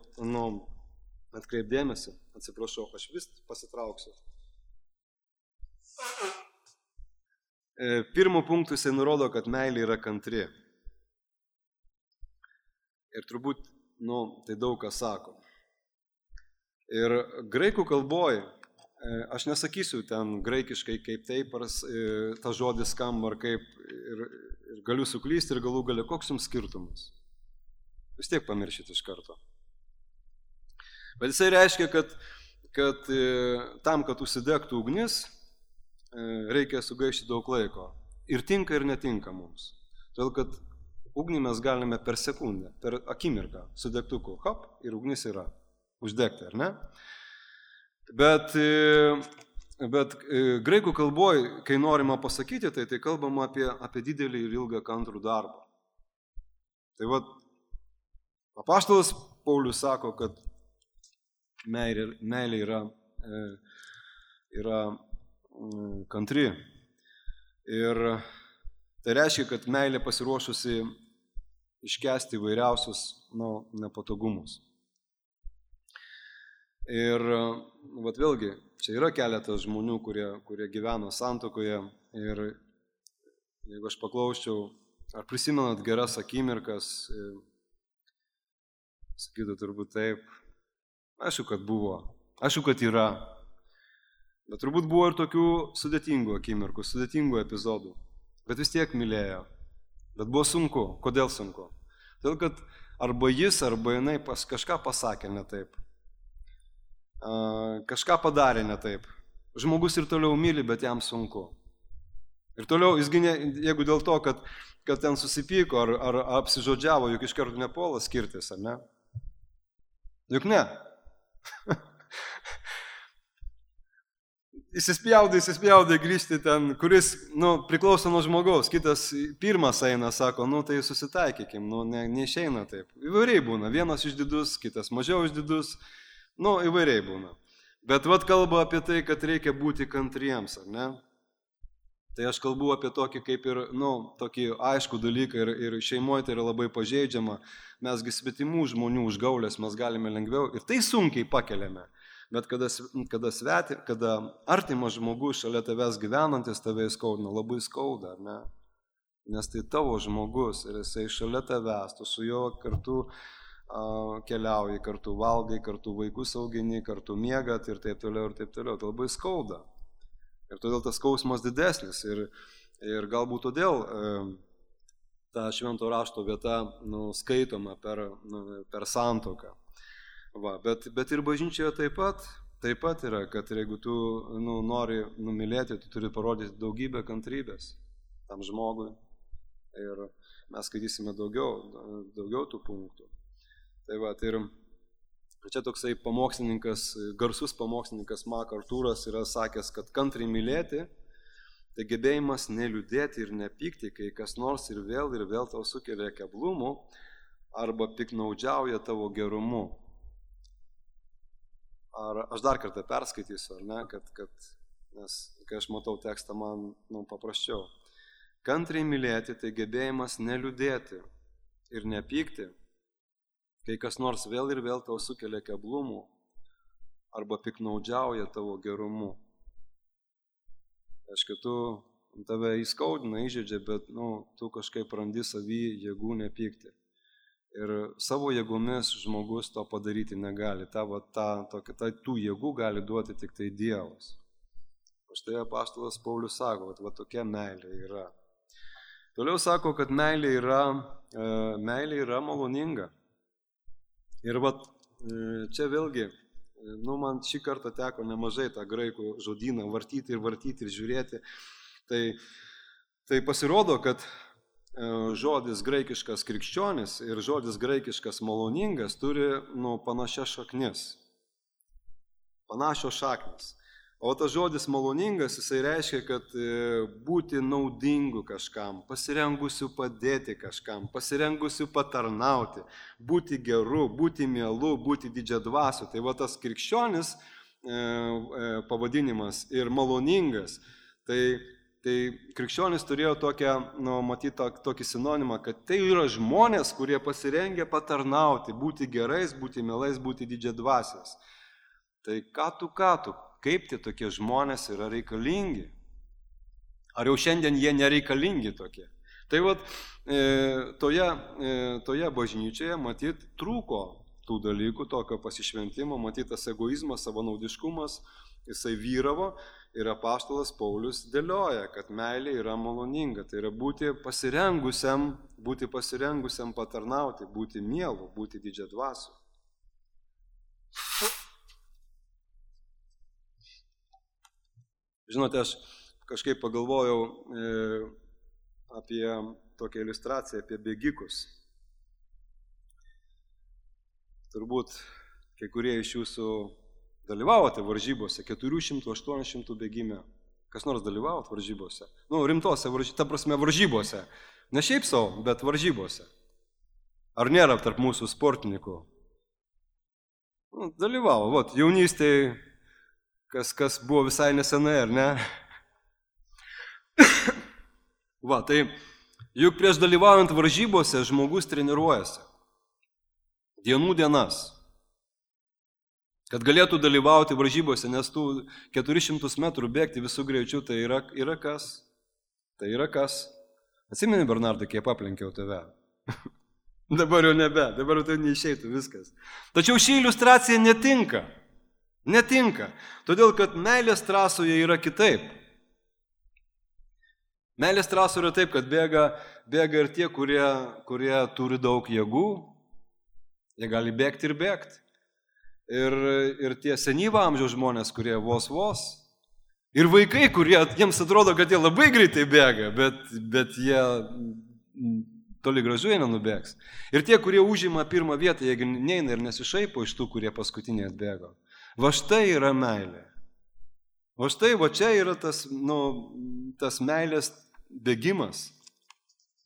atkreipdėmėsi, atsiprašau, aš vis pasitrauksiu. Pirmų punktų jisai nurodo, kad meilė yra kantri. Ir turbūt, tai daug ką sako. Ir graikų kalboje, aš nesakysiu ten graikiškai kaip taip, ar ta žodis skamba, ar kaip, ir galiu suklysti ir galų gale, koks jums skirtumas. Vis tiek pamiršit iš karto. Bet jisai reiškia, kad tam, kad užsidegtų ugnis, reikia sugaišti daug laiko. Ir tinka, ir netinka mums. Todėl, kad ugnį mes galime per sekundę, per akimirką su degtuku, hop, ir ugnis yra uždegti, ar ne? Bet graikų kalboje, kai norima pasakyti, tai kalbama apie didelį ir ilgą kantrų darbą. Tai apaštalas Paulius sako, kad meilė yra kantri. Ir tai reiškia, kad meilė pasiruošusi iškęsti įvairiausius nepatogumus. Ir vėlgi, čia yra keletas žmonių, kurie gyveno santuokoje. Ir jeigu aš paklausčiau, ar prisimenat geras akimirkas, sakytų turbūt taip. Aišku, kad buvo. Aišku, kad yra. Bet turbūt buvo ir tokių sudėtingų akimirkų, sudėtingų epizodų. Bet vis tiek mylėjo. Bet buvo sunku. Kodėl sunku? Todėl, kad arba jis, arba jinai kažką pasakė ne taip. Kažką padarė ne taip. Žmogus ir toliau myli, bet jam sunku. Ir toliau, jeigu dėl to, kad ten susipyko ar apsižodžiavo, juk iš karto nepuola skirtis, ar ne? Juk ne. įsispjaudai grįžti ten, kuris, priklauso nuo žmogaus, kitas pirmas eina, sako, tai susitaikykim, neišeina taip. Įvairiai būna, vienas išdidus, kitas mažiau išdidus, įvairiai būna. Bet kalba apie tai, kad reikia būti kantriems, ar ne? Tai aš kalbu apie tokį kaip ir, tokį aiškų dalyką ir šeimoje tai yra labai pažeidžiama, mesgi svetimų žmonių užgaulės mes galime lengviau ir tai sunkiai pakeliame. Bet kada artimas žmogus šalia tavęs gyvenantis tave įskaudina, labai skauda, ar ne? Nes tai tavo žmogus ir jisai šalia tavęs, tu su juo kartu keliauji, kartu valgai, kartu vaikus augini, kartu miegat ir taip toliau ir taip toliau. Tai labai skauda. Ir todėl tas skausmas didesnis. Ir galbūt todėl ta švento rašto vieta skaitoma per santuoką. Bet ir bažnyčioje taip pat yra, kad jeigu tu nori numylėti, tu turi parodyti daugybę kantrybės tam žmogui. Ir mes skaitysime daugiau tų punktų. Ir čia toksai garsus pamokslininkas MacArthuras yra sakęs, kad kantriai mylėti, tai gebėjimas neliūdėti ir nepykti, kai kas nors ir vėl tau sukelia keblumų arba piknaudžiauja tavo gerumu. Ar aš dar kartą perskaitysiu, ar ne, nes kai aš matau tekstą, man paprasčiau. Kantriai mylėti, tai gebėjimas neliūdėti ir nepykti, kai kas nors vėl tau sukelia keblumų arba piknaudžiauja tavo gerumu. Aišku, tave įskaudina, įžeidžia, bet tu kažkaip randi savy jėgų nepykti. Ir savo jėgomis žmogus to padaryti negali. Tų jėgų gali duoti tik tai Dievas. O štai apaštalas Paulius sako, kad tokia meilė yra. Toliau sako, kad meilė yra maloninga. Ir čia vėlgi, man šį kartą teko nemažai tą graikų žodyną vartyti ir žiūrėti. Tai pasirodo, kad žodis graikiškas krikščionis ir žodis graikiškas maloningas turi panašias šaknis. O tas žodis maloningas, jisai reiškia, kad būti naudingu kažkam, pasirengusiu padėti kažkam, pasirengusiu patarnauti, būti geru, būti mielu, būti didžiadvasiu. Tai tas krikščionis pavadinimas ir maloningas, tai krikščionis turėjo tokį sinonimą, kad tai yra žmonės, kurie pasirengia patarnauti, būti gerais, būti mielais, būti didžiadvasiais. Tai ką tu, kaip tie tokie žmonės yra reikalingi? Ar jau šiandien jie nereikalingi tokie? Tai toje bažnyčioje matyt trūko tų dalykų, tokio pasišventimo, matyt tas egoizmas, savanaudiškumas, jisai vyravo ir apaštalas Paulius dėlioja, kad meilė yra maloninga. Tai yra būti pasirengusiam patarnauti, būti mielu, būti didžiadvasiu. Žinote, aš kažkaip pagalvojau apie tokią iliustraciją, apie bėgikus. Turbūt kai kurie iš jūsų dalyvavote varžybose, 400-800 bėgime. Kas nors dalyvavot varžybose? Rimtose, varžybose. Ne šiaip savo, bet varžybose. Ar nėra tarp mūsų sportininkų? Dalyvavo, jaunystėje, kas buvo visai nesenai, ar ne? Tai juk prieš dalyvaujant varžybose žmogus treniruojasi. Dienų dienas. Kad galėtų dalyvauti varžybose, nes tų 400 metrų bėgti visų greičių, tai yra kas? Tai yra kas? Atsimeni, Bernardai, kaip aplenkiau tave? Dabar jau nebe, dabar jau tai neišeitų viskas. Tačiau ši iliustracija netinka. Netinka, todėl kad meilės trasoje yra kitaip. Meilės trasoje yra taip, kad bėga ir tie, kurie turi daug jėgų, jie gali bėgti ir bėgti. Ir tie senyvo amžiaus žmonės, kurie vos. Ir vaikai, jiems atrodo, kad jie labai greitai bėga, bet jie toli gražu jie nenubėgs. Ir tie, kurie užima pirmą vietą, jie neina ir nesišaipo iš tų, kurie paskutiniai atbėgo. Va štai yra meilė. O štai, va čia yra tas meilės bėgimas.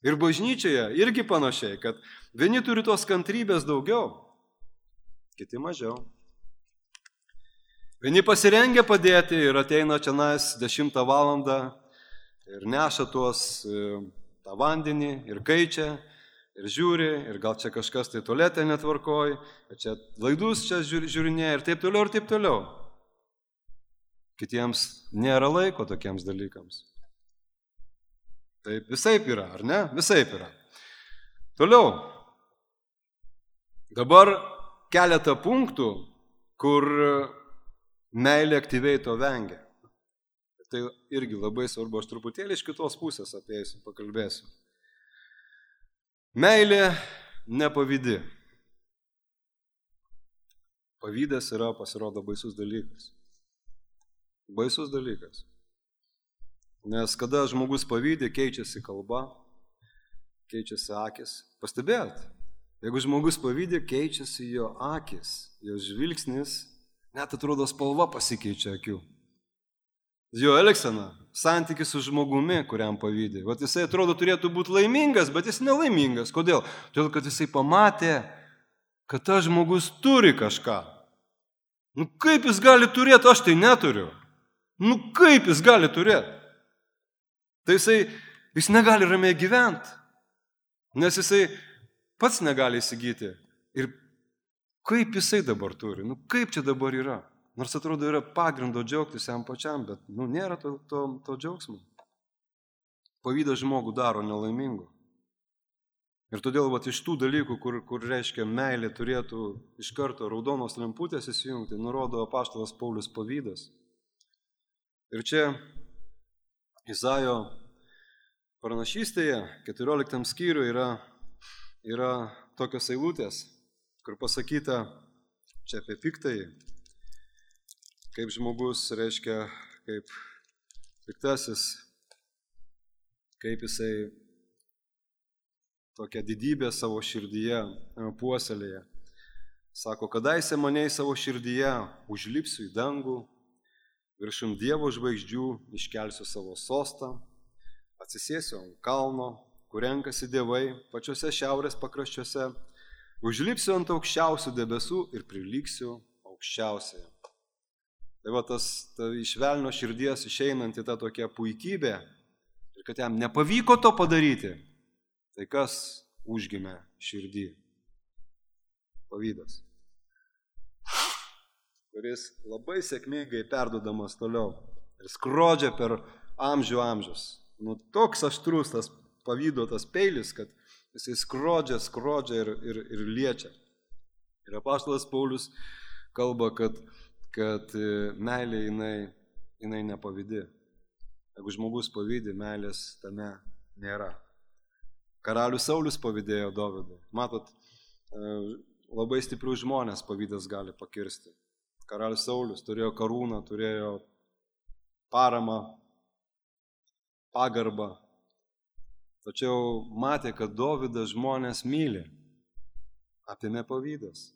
Ir bažnyčioje irgi panašiai, kad vieni turi tos kantrybės daugiau, kiti mažiau. Vieni pasirengia padėti ir ateina čia 10 valandą ir neša tą vandenį ir kaičia ir žiūri ir gal čia kažkas tai tualetė netvarkoj, čia laidus čia žiūrinėja ir taip toliau ir taip toliau. Kitiems nėra laiko tokiems dalykams. Taip visaip yra, ar ne? Visaip yra. Toliau. Dabar keletą punktų, kur meilė aktyviai to vengia. Tai irgi labai svarbu, aš truputėlį iš kitos pusės apie jais pakalbėsiu. Meilė nepavydi. Pavydas yra, pasirodo, baisus dalykas. Baisus dalykas. Nes kada žmogus pavydi, keičiasi kalba, keičiasi akis. Pastebėjot? Jeigu žmogus pavydi, keičiasi jo akis, jo žvilgsnis, net atrodo spalva pasikeičia akių. Jo elgsena, santykis su žmogumi, kuriam pavydi. Vat jisai atrodo turėtų būti laimingas, bet jis nelaimingas. Kodėl? Todėl, kad jisai pamatė, kad tas žmogus turi kažką. Kaip jis gali turėti, aš tai neturiu. Kaip jis gali turėti? Tai jis negali ramiai gyventi, nes jisai pats negali įsigyti. Ir kaip jisai dabar turi? Kaip čia dabar yra? Nors atrodo yra pagrindo džiaugtis jam pačiam, bet nėra to džiaugsmo. Pavydas žmogų daro nelaimingu. Ir todėl iš tų dalykų, kur reiškia meilė turėtų iš karto raudonos lemputės įsijungti, nurodo apaštalas Paulius pavydas. Ir čia Izaijo pranašystėje 14 skyriuje yra tokios eilutės, kur pasakyta čia apie piktąjį, kaip žmogus reiškia, kaip piktasis, kaip jisai tokią didybę savo širdyje puoselėje. Sako, kadaise mane į savo širdyje užlipsiu į dangų, viršum Dievo žvaigždžių iškelsiu savo sostą, atsisėsiu ant kalno, kur renkasi dievai, pačiuose šiaurės pakraščiuose, užlipsiu ant aukščiausių debesų ir prilyksiu aukščiausiai. Tai iš velnio širdies išeinanti ta tokia puikybė, ir kad jam nepavyko to padaryti, tai kas užgimė širdį? Pavydas, kuris labai sėkmingai perduodamas toliau ir skrodžia per amžius. Toks aštrus tas pavydo tas peilis, kad jisai skrodžia ir liečia. Ir apaštalas Paulius kalba, kad meilė jinai nepavydi. Jeigu žmogus pavydi, meilės tame nėra. Karalius Saulius pavydėjo Dovydui. Matot, labai stiprių žmonės pavydas gali pakirsti. Karalius Saulius turėjo karūną, turėjo paramą, pagarbą. Tačiau matė, kad Dovydas žmonės myli. Apėmė pavydas.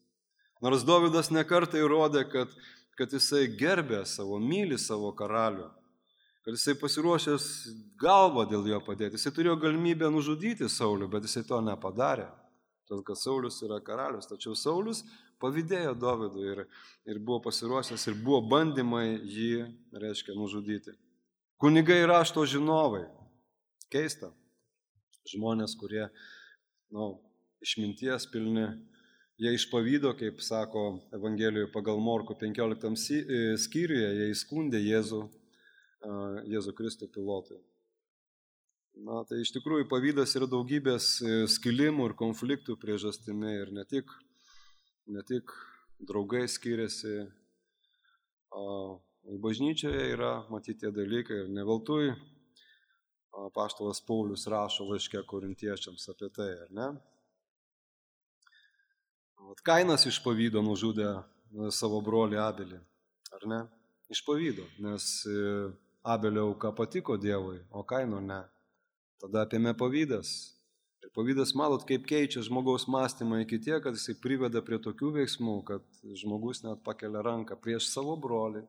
Nors Dovydas nekartą įrodė, kad jisai gerbė myli savo karalių, kad jisai pasiruošęs galvą dėl jo padėti. Jisai turėjo galimybę nužudyti Saulių, bet jisai to nepadarė. Todėl, kad Saulius yra karalius. Tačiau Saulius pavydėjo Dovydui ir buvo pasiruošęs ir buvo bandymai jį, reiškia, nužudyti. Kunigai rašto žinovai. Keista. Žmonės, kurie, išminties pilni, jie iš pavydo, kaip sako Evangelijoje pagal Morkų 15 skyriuje, jie įskundė Jėzų Kristų Pilotui. Tai iš tikrųjų pavydas yra daugybės skilimų ir konfliktų priežastimi ir ne tik draugai skiriasi, bažnyčioje yra matyti tie dalykai ir ne veltui apaštalas Paulius rašo laiške korintiečiams apie tai, ar ne? Kainas iš pavydo nužudė savo brolį Abelį, ar ne? Iš pavydo, nes Abelio auka patiko Dievui, o Kaino ne. Tada apėmė pavydas. Ir pavydas, matot, kaip keičia žmogaus mąstymą iki tiek, kad jisai priveda prie tokių veiksmų, kad žmogus net pakelia ranką prieš savo brolį.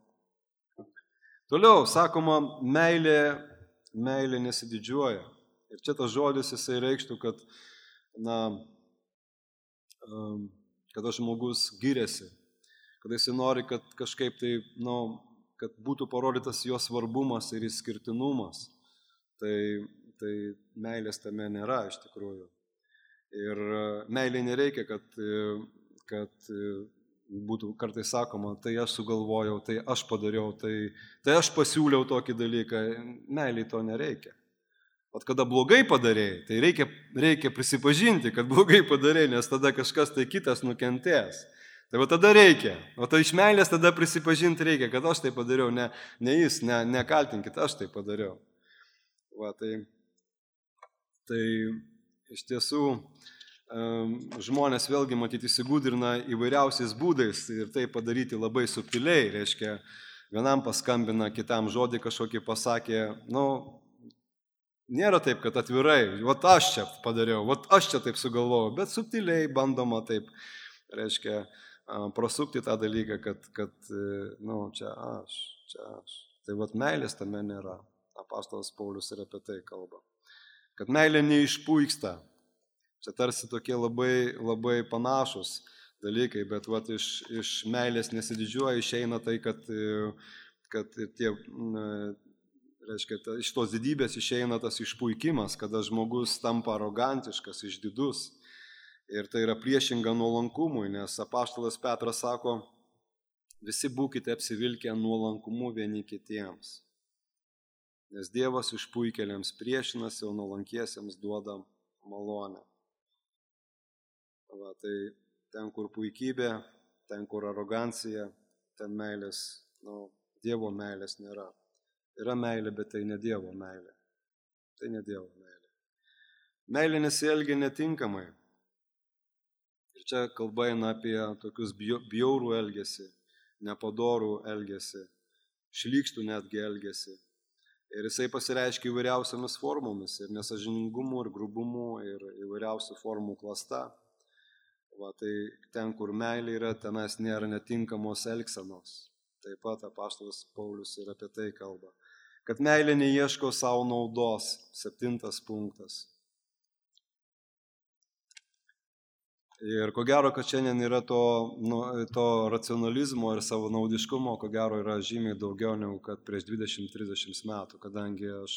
Toliau, sakoma, meilė nesididžiuoja. Ir čia tas žodis jisai reikštų, kad, kad žmogus giriasi, kad jisai nori, kad kažkaip tai, kad būtų parodytas jo svarbumas ir išskirtinumas. Tai meilės tame nėra iš tikrųjų. Ir meilė nereikia, kad būtų kartais sakoma, tai aš sugalvojau, tai aš padariau, tai aš pasiūliau tokį dalyką. Meiliai to nereikia. O kada blogai padarėjai, tai reikia prisipažinti, kad blogai padarėjai, nes tada kažkas tai kitas nukentės. Tai va tada reikia. O tai iš meilės tada prisipažinti reikia, kad aš tai padariau, ne jis, nekaltinkit, aš tai padariau. Va, tai iš tiesų žmonės vėlgi matyti įsigūdrina įvairiausiais būdais ir tai padaryti labai subtiliai. Reiškia, vienam paskambina, kitam žodį kažkokį pasakė, nėra taip, kad atvirai, vat aš čia padariau, vat aš čia taip sugalvojau, bet subtiliai bandoma taip, reiškia, prasukti tą dalyką, kad čia aš. Tai vat meilės tame nėra. Apaštalas Paulius ir apie tai kalba. Kad meilė neišpuiksta. Čia tarsi tokie labai, labai panašus dalykai, bet vat iš meilės nesididžiuoja, išeina tai, kad tie, reiškia, iš tos didybės išeina tas išpuikimas, kada žmogus tampa arogantiškas, išdidus. Ir tai yra priešinga nuolankumui, nes apaštalas Petras sako, visi būkite apsivilkę nuolankumu vieni kitiems. Nes Dievas išpuikėliams priešinasi, o nuolankiesiems duoda malonę. Va, tai ten, kur puikybė, ten, kur arogancija, ten meilės, Dievo meilės nėra. Yra meilė, bet tai ne Dievo meilė. Tai ne Dievo meilė. Meilė nesielgia netinkamai. Ir čia kalba eina apie tokius bjaurų elgesį, nepadorų elgesį, šlykštų netgi elgesį. Ir jisai pasireiškia įvairiausiamis formomis, ir nesažiningumu, ir grubumu, ir įvairiausių formų klasta. Va, tai ten, kur meilė yra, tenais nėra netinkamos elgsenos. Taip pat apaštalas Paulius ir apie tai kalba. Kad meilė neieško savo naudos. 7 punktas. Ir ko gero, kad šiandien yra to racionalizmo ir savanaudiškumo, ko gero yra žymiai daugiau negu kad prieš 20-30 metų, kadangi aš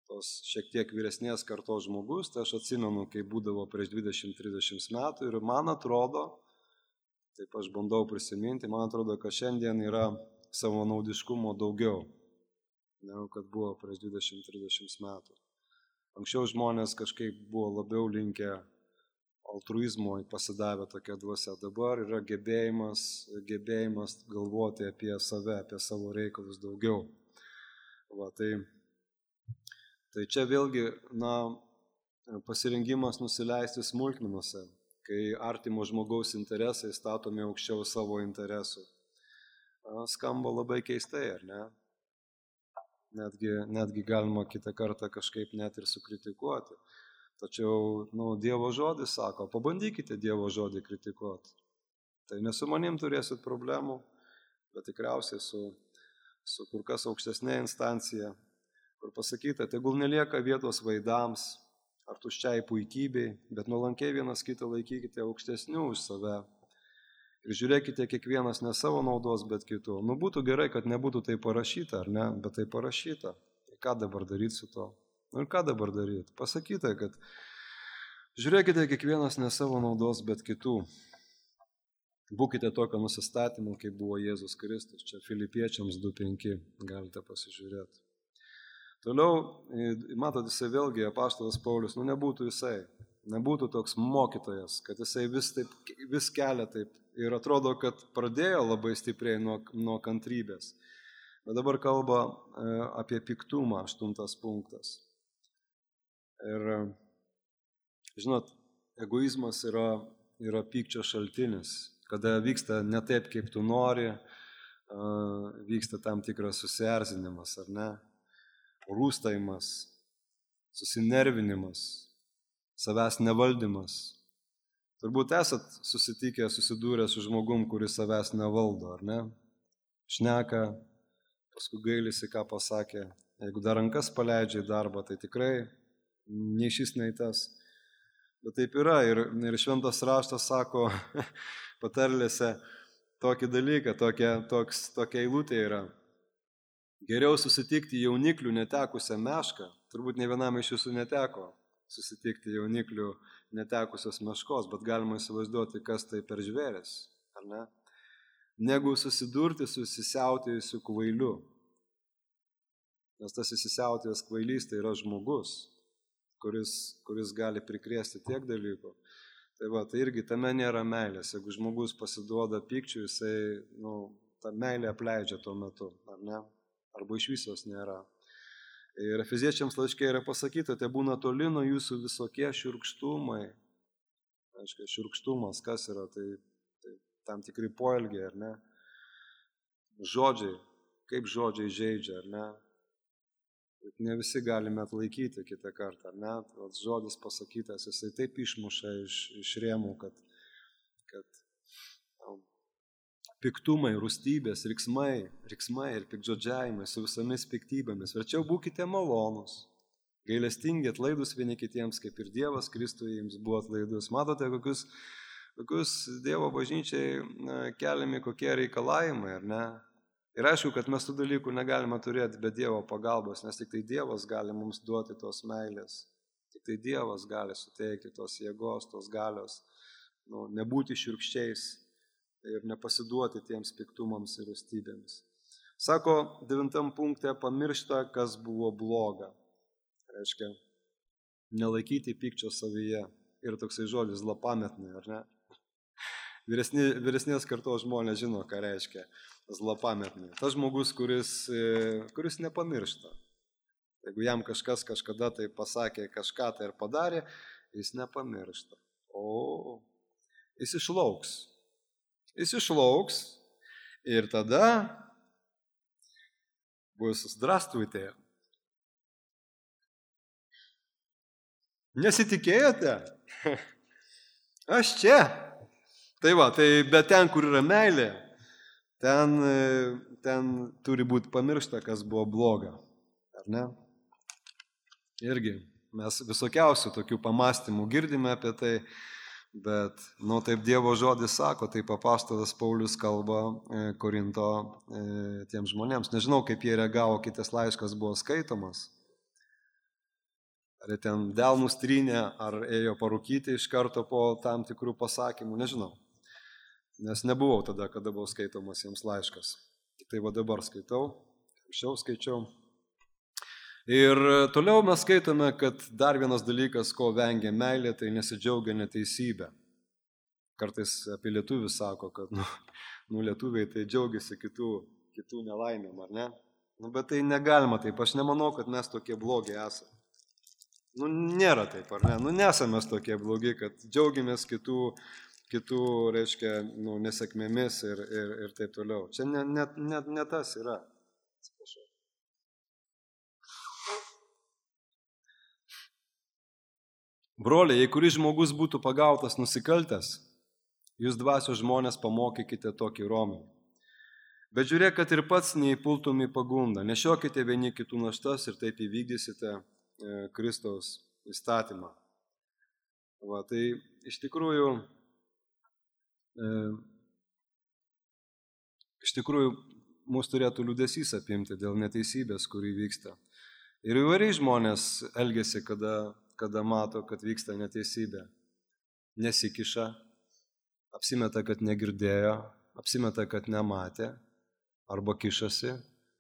tos šiek tiek vyresnės kartos žmogus, tai aš atsimenu, kai būdavo prieš 20-30 metų ir man atrodo, taip aš bandau prisiminti, man atrodo, kad šiandien yra savanaudiškumo daugiau, negu kad buvo prieš 20-30 metų. Anksčiau žmonės kažkaip buvo labiau linkę altruizmo pasidavę tokia dvasia. Dabar yra gebėjimas galvoti apie save, apie savo reikalus daugiau. Va, tai čia vėlgi, pasirengimas nusileisti smulkmenuose, kai artimo žmogaus interesai statomi aukščiau savo interesų. Skamba labai keistai, ar ne? Netgi galima kitą kartą kažkaip net ir sukritikuoti. Tačiau, Dievo žodis sako, pabandykite Dievo žodį kritikuoti. Tai ne su manim turėsit problemų, bet tikriausiai su kur kas aukštesnė instancija, kur pasakyta, tegul nelieka vietos vaidams ar tuščiai puikybei, bet nuolankiai vienas kitą laikykite aukštesnių už save ir žiūrėkite kiekvienas ne savo naudos, bet kitų. Būtų gerai, kad nebūtų tai parašyta, ar ne, bet tai parašyta. Tai ką dabar daryti su to? Ir ką dabar daryti? Pasakyta, kad žiūrėkite kiekvienas ne savo naudos, bet kitų. Būkite tokio nusistatymo, kaip buvo Jėzus Kristus. Čia Filipiečiams 2:5 galite pasižiūrėti. Toliau, matot, jisai vėlgi, apaštalas Paulius, nebūtų toks mokytojas, kad jisai vis kelia taip ir atrodo, kad pradėjo labai stipriai nuo kantrybės. Bet dabar kalba apie piktumą, 8 punktas. Ir, žinot, egoizmas yra pykčio šaltinis, kada vyksta ne taip, kaip tu nori, vyksta tam tikras susierzinimas, ar ne? Rūstavimas, susinervinimas, savęs nevaldymas. Turbūt esat susidūrę su žmogum, kuris savęs nevaldo, ar ne? Šneka, paskui gailisi, ką pasakė. Jeigu dar rankas paleidžia į darbą, tai tikrai nei šis, nei tas. Bet taip yra ir šventas raštas sako patarlėse tokį dalyką, tokia eilutė yra. Geriau susitikti jauniklių netekusią mešką, turbūt ne vienam iš jūsų neteko susitikti jauniklių netekusios meškos, bet galima įsivaizduoti, kas tai per žvėris, ar ne? Negu susidurti su įsisiautėjusiu kvailiu. Nes tas įsisiautėjęs kvailys tai yra žmogus, kuris gali prikrėsti tiek dalykų. Tai irgi tame nėra meilės. Jeigu žmogus pasiduoda pykčiui, jisai, ta meilė apleidžia tuo metu, ar ne? Arba iš visos nėra. Ir Efeziečiams laiške yra pasakyta, tai būna toli nuo jūsų visokie šiurkštumai. Aiškiai, šiurkštumas, kas yra, tai tam tikri poelgiai, ar ne? Žodžiai, kaip žodžiai žeidžia, ar ne? Ne visi galime atlaikyti kitą kartą, ar ne? Žodis pasakytas, jisai taip išmuša iš rėmų, kad piktumai, rūstybės, riksmai ir pikdžodžiavimai su visomis piktybėmis. Verčiau būkite malonūs, gailestingi, atlaidus vieni kitiems, kaip ir Dievas Kristuje jums buvo atlaidus. Matote, kokius Dievo bažnyčiai keliami kokie reikalavimai, ar ne? Ir aišku, kad mes tų dalykų negalime turėti be Dievo pagalbos, nes tik tai Dievas gali mums duoti tos meilės. Tik tai Dievas gali suteikti tos jėgos, tos galios, nebūti šiurkščiais ir nepasiduoti tiems piktumams ir rūstybėms. Sako 9 punkte, pamiršta, kas buvo bloga. Reiškia, nelaikyti pykčio savyje. Ir toksai žodis zlapametnai, ar ne? Vyresnės kartos žmonės žino, ką reiškia zlapametnai. Tas žmogus, kuris nepamiršta. Jeigu jam kažkas kažkada tai pasakė kažką tai ir padarė, jis nepamiršta. O jis išlauks. Jis išlauks ir tada bus zdrastujte. Nesitikėjote? Aš čia. Tai va, bet ten, kur yra meilė, ten turi būti pamiršta, kas buvo bloga. Ar ne? Irgi mes visokiausių tokių pamastymų girdime apie tai, bet, taip Dievo žodis sako, taip apaštalas Paulius kalba Korinto tiems žmonėms. Nežinau, kaip jie reagavo, kitas laiškas buvo skaitomas. Ar ten delnus trynė, ar ėjo parūkyti iš karto po tam tikrų pasakymų, nežinau. Nes nebuvau tada, kada buvo skaitomas jiems laiškas. Tik tai dabar skaitau, anksčiau skaičiau. Ir toliau mes skaitome, kad dar vienas dalykas, ko vengia meilė, tai nesidžiaugia neteisybė. Kartais apie lietuvius sako, kad lietuviai tai džiaugiasi kitų nelaimėm, ar ne? Bet tai negalima taip, aš nemanau, kad mes tokie blogi esame. Nėra taip, ar ne? Nesame mes tokie blogi, kad džiaugiamės kitų, reiškia, nesėkmėmis ir taip toliau. Čia ne tas yra. Broliai, jei kuris žmogus būtų pagautas nusikaltęs, jūs dvasios žmonės pamokykite tokį romį. Bet žiūrėk, kad ir pats neįpultum į pagundą. Nešiokite vieni kitų naštas ir taip įvykdysite Kristaus įstatymą. Tai iš tikrųjų mus turėtų liūdesys apimti dėl neteisybės, kuri vyksta. Ir įvairiai žmonės elgiasi, kada mato, kad vyksta neteisybė. Nesikiša, apsimeta, kad negirdėjo, apsimeta, kad nematė, arba kišasi,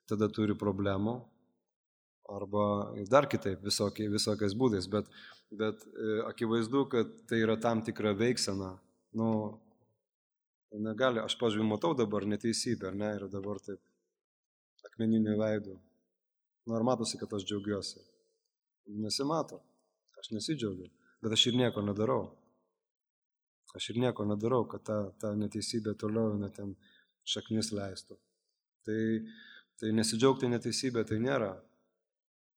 tada turi problemų, arba dar kitaip, visokiais būdais, bet akivaizdu, kad tai yra tam tikra veiksena. Negali, aš pažiūrėjau, matau dabar neteisybę, ar ne, ir dabar taip akmeniniu veidu. Ar matosi, kad aš džiaugiuosi? Nesimato, aš nesidžiaugiu, bet aš ir nieko nedarau. Kad ta neteisybė toliau ten šaknis leistų. Tai nesidžiaugti neteisybė tai nėra.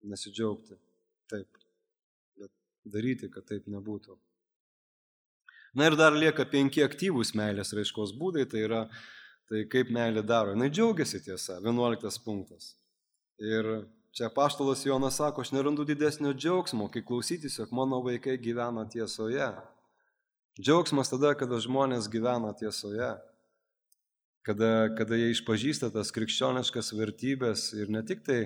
Nesidžiaugti, taip, bet daryti, kad taip nebūtų. Na ir dar lieka 5 aktyvūs meilės raiškos būdai, tai yra Tai kaip meilė daro? Jis džiaugiasi tiesa, 11 punktas. Ir čia apaštalas Jonas sako, aš nerandu didesnio džiaugsmo, kai klausytis, jog mano vaikai gyvena tiesoje. Džiaugsmas tada, kada žmonės gyvena tiesoje. Kada jie išpažįsta tas krikščioniškas vertybės ir ne tik tai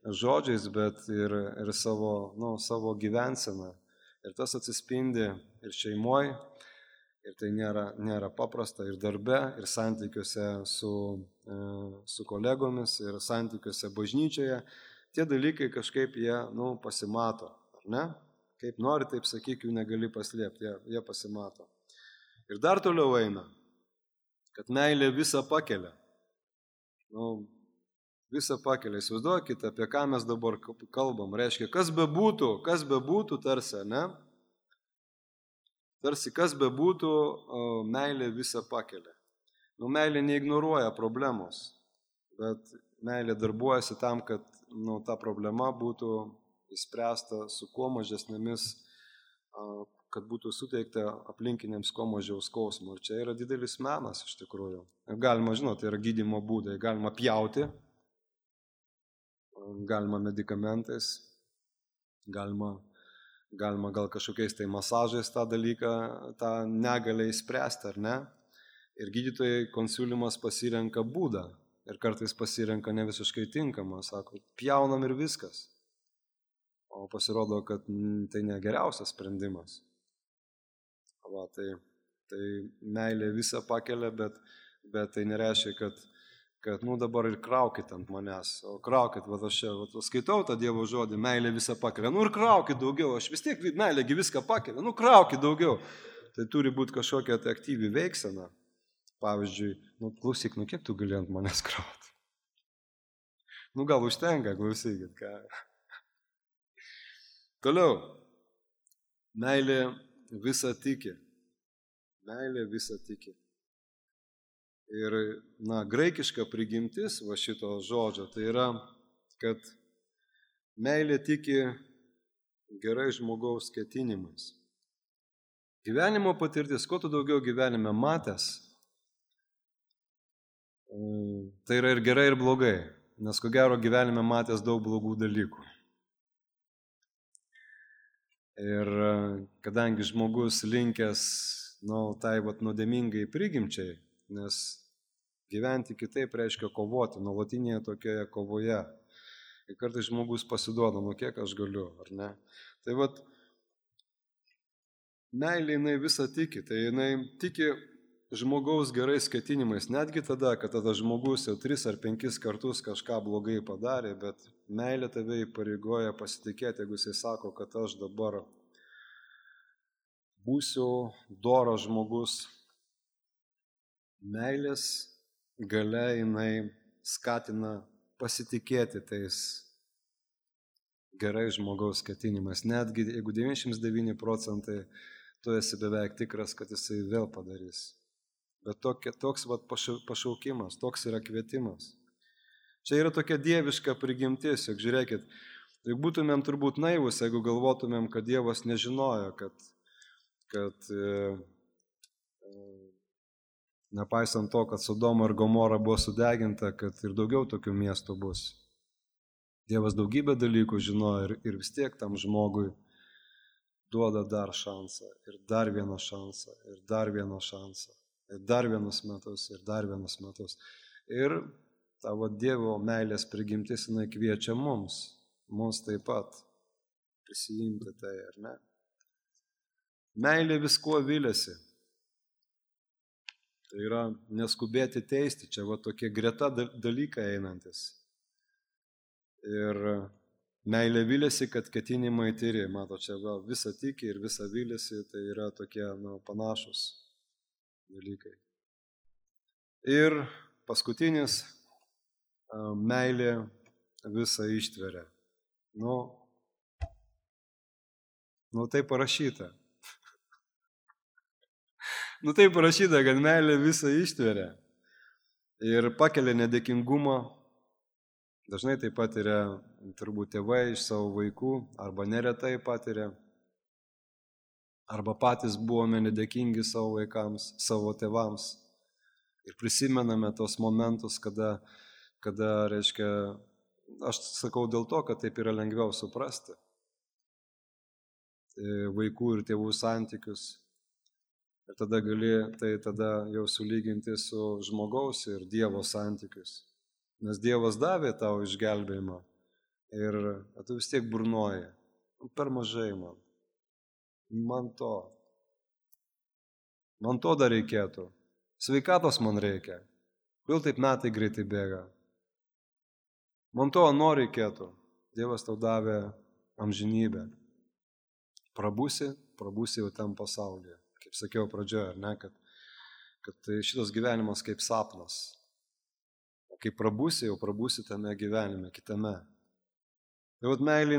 žodžiais, bet ir savo gyvenseną. Ir tas atsispindi ir šeimoje, ir tai nėra paprasta, ir darbe, ir santykiuose su kolegomis, ir santykiuose bažnyčioje. Tie dalykai kažkaip jie pasimato, ar ne? Kaip nori, taip sakyk, jų negali paslėpti, jie pasimato. Ir dar toliau eina, kad meilė visą pakelia. Visą pakelia. Įsivaizduokite, apie ką mes dabar kalbam. Reiškia, kas bebūtų tarsi, ne? Tarsi kas bebūtų, meilė visą pakelia. Meilė neignoruoja problemos, bet meilė darbuojasi tam, kad ta problema būtų įspręsta su kuo mažesnėmis, kad būtų suteikta aplinkiniams kuo mažiau skausmo. Ir čia yra didelis menas iš tikrųjų. Galima, tai yra gydymo būdai, galima pjauti, galima medikamentais, galima gal kažkokiais tai masažais tą dalyką, tą negalę įspręsti, ar ne? Ir gydytojai konsiuliumas pasirenka būdą ir kartais pasirenka ne visiškai tinkamą, sako, pjaunam ir viskas. O pasirodo, kad tai ne geriausias sprendimas. Tai meilė visą pakelia, bet tai nereiškia, kad dabar ir kraukit ant manęs, o kraukit, aš čia skaitau tą Dievo žodį, meilė visą pakelia, ir kraukit daugiau, aš vis tiek meilėgi viską pakelia, kraukit daugiau. Tai turi būti kažkokia tai aktyvi veiksena. Pavyzdžiui, klausyk, kiek tu gali ant manęs krauti? Gal užtenka, klausykit, ką. Toliau, meilė visą tiki. Meilė visą tiki. Ir, graikiška prigimtis šito žodžio, tai yra, kad meilė tiki gerai žmogaus ketinimais. Gyvenimo patirtis, kuo tu daugiau gyvenime matęs, tai yra ir gerai, ir blogai, nes ko gero gyvenime matęs daug blogų dalykų. Ir kadangi žmogus linkęs, tai nuodėmingai prigimčiai, nes gyventi kitaip reiškia kovoti, nuolatinėje tokioje kovoje. Ir kartais žmogus pasiduoda, kiek aš galiu, ar ne? Tai meilė jinai visą tiki, tai jinai tiki žmogaus gerais ketinimais, netgi tada, kad tada žmogus jau 3 ar 5 kartus kažką blogai padarė, bet meilė tave įpareigoja pasitikėti, jeigu jisai sako, kad aš dabar būsiu doras žmogus. Meilės galia jinai skatina pasitikėti tais gerai žmogaus ketinimais. Netgi jeigu 99% tu esi beveik tikras, kad jisai vėl padarys. Bet toks pašaukimas, toks yra kvietimas. Čia yra tokia dieviška prigimtis, juk žiūrėkit, tai būtumėm turbūt naivus, jeigu galvotumėm, kad Dievas nežinojo, kad nepaisant to, kad Sodoma ir Gomora buvo sudeginta, kad ir daugiau tokių miestų bus. Dievas daugybę dalykų žinojo ir vis tiek tam žmogui duoda dar šansą, ir dar vieną šansą, ir dar vieną šansą, ir dar vienus metus, ir dar vienus metus. Ir tavo Dievo meilės prigimtis, jinai kviečia mums taip pat prisijimti tai, ar ne? Meilė viskuo viliasi. Tai yra neskubėti teisti, čia tokie greta dalykai einantis. Ir meilė viliasi, kad ketinimai tyri. Mato, čia visą tiki ir visą viliasi, tai yra tokie panašus dalykai. Ir paskutinis, meilė visą ištveria. Tai parašyta. Tai parašyta, kad meilė visą ištveria ir pakelia nedėkingumą. Dažnai tai patiria turbūt tėvai iš savo vaikų, arba neretai patiria, arba patys buvome nedėkingi savo vaikams, savo tėvams. Ir prisimename tos momentus, kada, reiškia, aš sakau dėl to, kad taip yra lengviau suprasti vaikų ir tėvų santykius. Ir tada gali tai tada jau sulyginti su žmogaus ir Dievo santykius. Nes Dievas davė tau išgelbėjimą ir tu vis tiek burnoji. Per mažai man. Man to dar reikėtų. Sveikatos man reikia. Kodėl taip metai greitai bėga? Man to reikėtų. Dievas tau davė amžinybę. Prabusi jau tam pasaulyje. Kaip sakiau pradžioje, ar ne, kad tai šitas gyvenimas kaip sapnas. O kai prabusi, jau prabusi tame gyvenime, kitame. Tai vat meilė,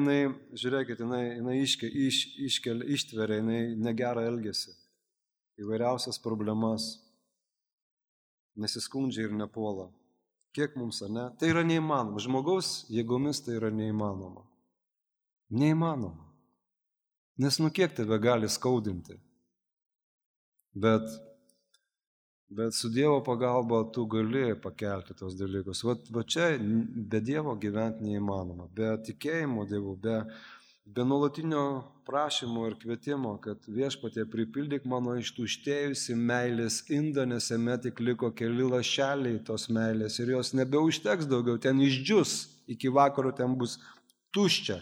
žiūrėkit, jinai ištveria, jinai negerą elgesį. Įvairiausias problemas. Nesiskundžia ir nepuola. Kiek mums, ar ne? Tai yra neįmanoma. Žmogaus jėgomis tai yra neįmanoma. Neįmanoma. Nes kiek tave gali skaudinti. Bet su Dievo pagalba tu gali pakelti tos dalykus. Va čia be Dievo gyventi neįmanoma. Be tikėjimo Dievu, be nuolatinio prašymo ir kvietimo, kad Viešpatie pripildyk mano ištuštėjusi meilės indą, nes jame tik liko keli lašeliai tos meilės ir jos nebeužteks daugiau, ten išdžius, iki vakaro ten bus tuščia.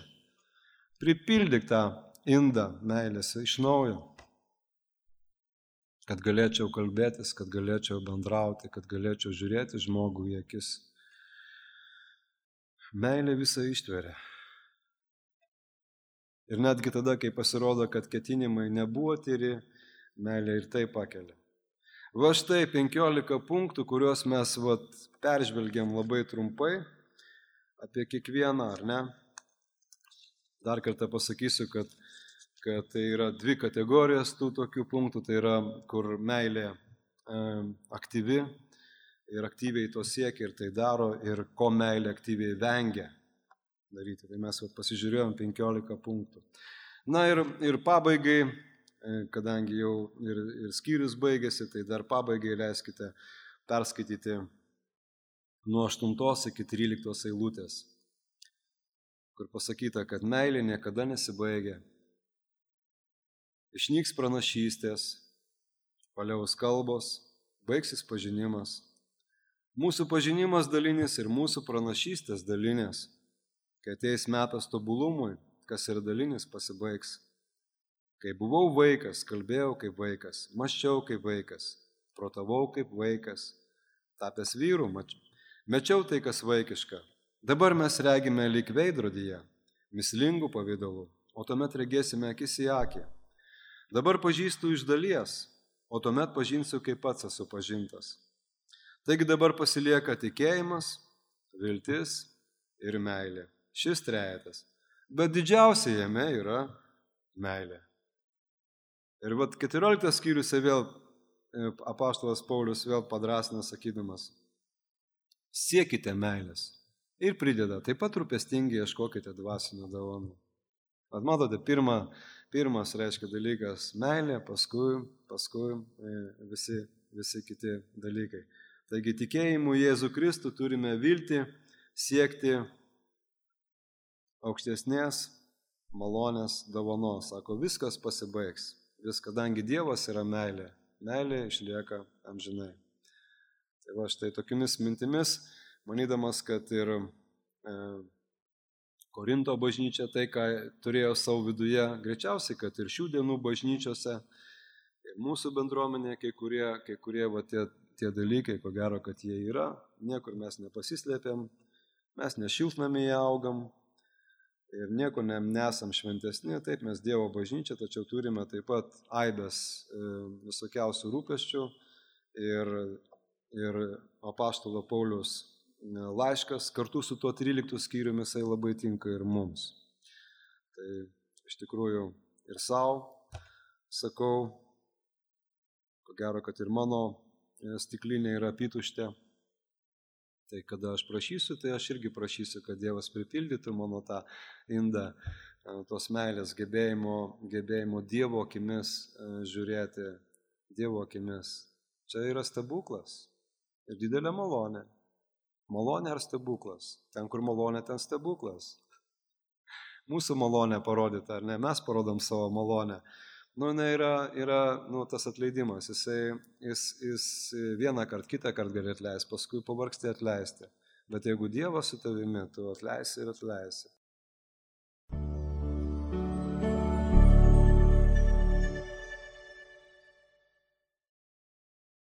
Pripildyk tą indą meilės iš naujo, kad galėčiau kalbėtis, kad galėčiau bendrauti, kad galėčiau žiūrėti žmogų į akis. Meilė visą ištveria. Ir netgi tada, kai pasirodo, kad ketinimai nebuvo tyri, meilė ir tai pakelia. Va štai 15 punktų, kuriuos mes peržvelgiam labai trumpai apie kiekvieną, ar ne? Dar kartą pasakysiu, kad tai yra dvi kategorijos tų tokių punktų, tai yra, kur meilė aktyvi ir aktyviai to siekia ir tai daro, ir ko meilė aktyviai vengia daryti. Tai mes pasižiūrėjom 15 punktų. Na ir pabaigai, kadangi jau ir skyrius baigėsi, tai dar pabaigai leiskite perskaityti nuo 8 iki 13 eilutės, kur pasakyta, kad meilė niekada nesibaigia. Išnyks pranašystės, paliaus kalbos, baigsis pažinimas. Mūsų pažinimas dalinis ir mūsų pranašystės dalinės. Kai ateis metas tobulumui, kas yra dalinis, pasibaigs. Kai buvau vaikas, kalbėjau kaip vaikas, mąsčiau kaip vaikas, protavau kaip vaikas, tapęs vyru, mečiau tai, kas vaikiška. Dabar mes regime lyg veidrodyje, mislingų pavydalų, o tuomet regėsime akis į akį. Dabar pažįstu iš dalies, o tuomet pažinsiu, kaip pats esu pažintas. Taigi dabar pasilieka tikėjimas, viltis ir meilė. Šis trejetas. Bet didžiausia jame yra meilė. Ir 14 skyriuose vėl apaštalas Paulius vėl padrasina sakydamas, siekite meilės ir prideda, taip pat rūpestingai ieškokite dvasinio dovanų. Matote, pirmas reiškia dalykas meilė, paskui visi kiti dalykai. Taigi tikėjimu Jėzų Kristų turime viltį siekti aukštesnės malonės dovanos. Sako, viskas pasibaigs. Kadangi Dievas yra meilė, meilė išlieka amžinai. Tai va štai tokiamis mintimis, manydamas, kad ir Korinto bažnyčia tai, ką turėjo savo viduje, greičiausiai, kad ir šių dienų bažnyčiose, ir mūsų bendruomenė, kai kurie va, tie dalykai, ko gero, kad jie yra, niekur mes nepasislėpėm, mes ne šiltnamyje augam, ir nieko nesam šventesni, taip mes Dievo bažnyčia, tačiau turime taip pat aibės visokiausių rūpesčių ir apaštalo Pauliaus laiškas kartu su tuo 13 skyriumi jisai labai tinka ir mums. Tai iš tikrųjų ir savo sakau, ko gero, kad ir mano stiklinė yra apytuštė. Tai kada aš prašysiu, tai aš irgi prašysiu, kad Dievas pripildytų mano tą indą, tos meilės gebėjimo Dievo akimis žiūrėti, Dievo akimis. Čia yra stebuklas. ir didelė malonė. Malonė ar stebuklas? Ten, kur malonė, ten stebuklas. Mūsų malonė parodyta, ar ne? Mes parodom savo malonę. Yra tas atleidimas. Jis vieną kartą, kitą kartą gali atleisti, paskui pavargsti atleisti. Bet jeigu Dievas su tavimi, tu atleisi ir atleisi.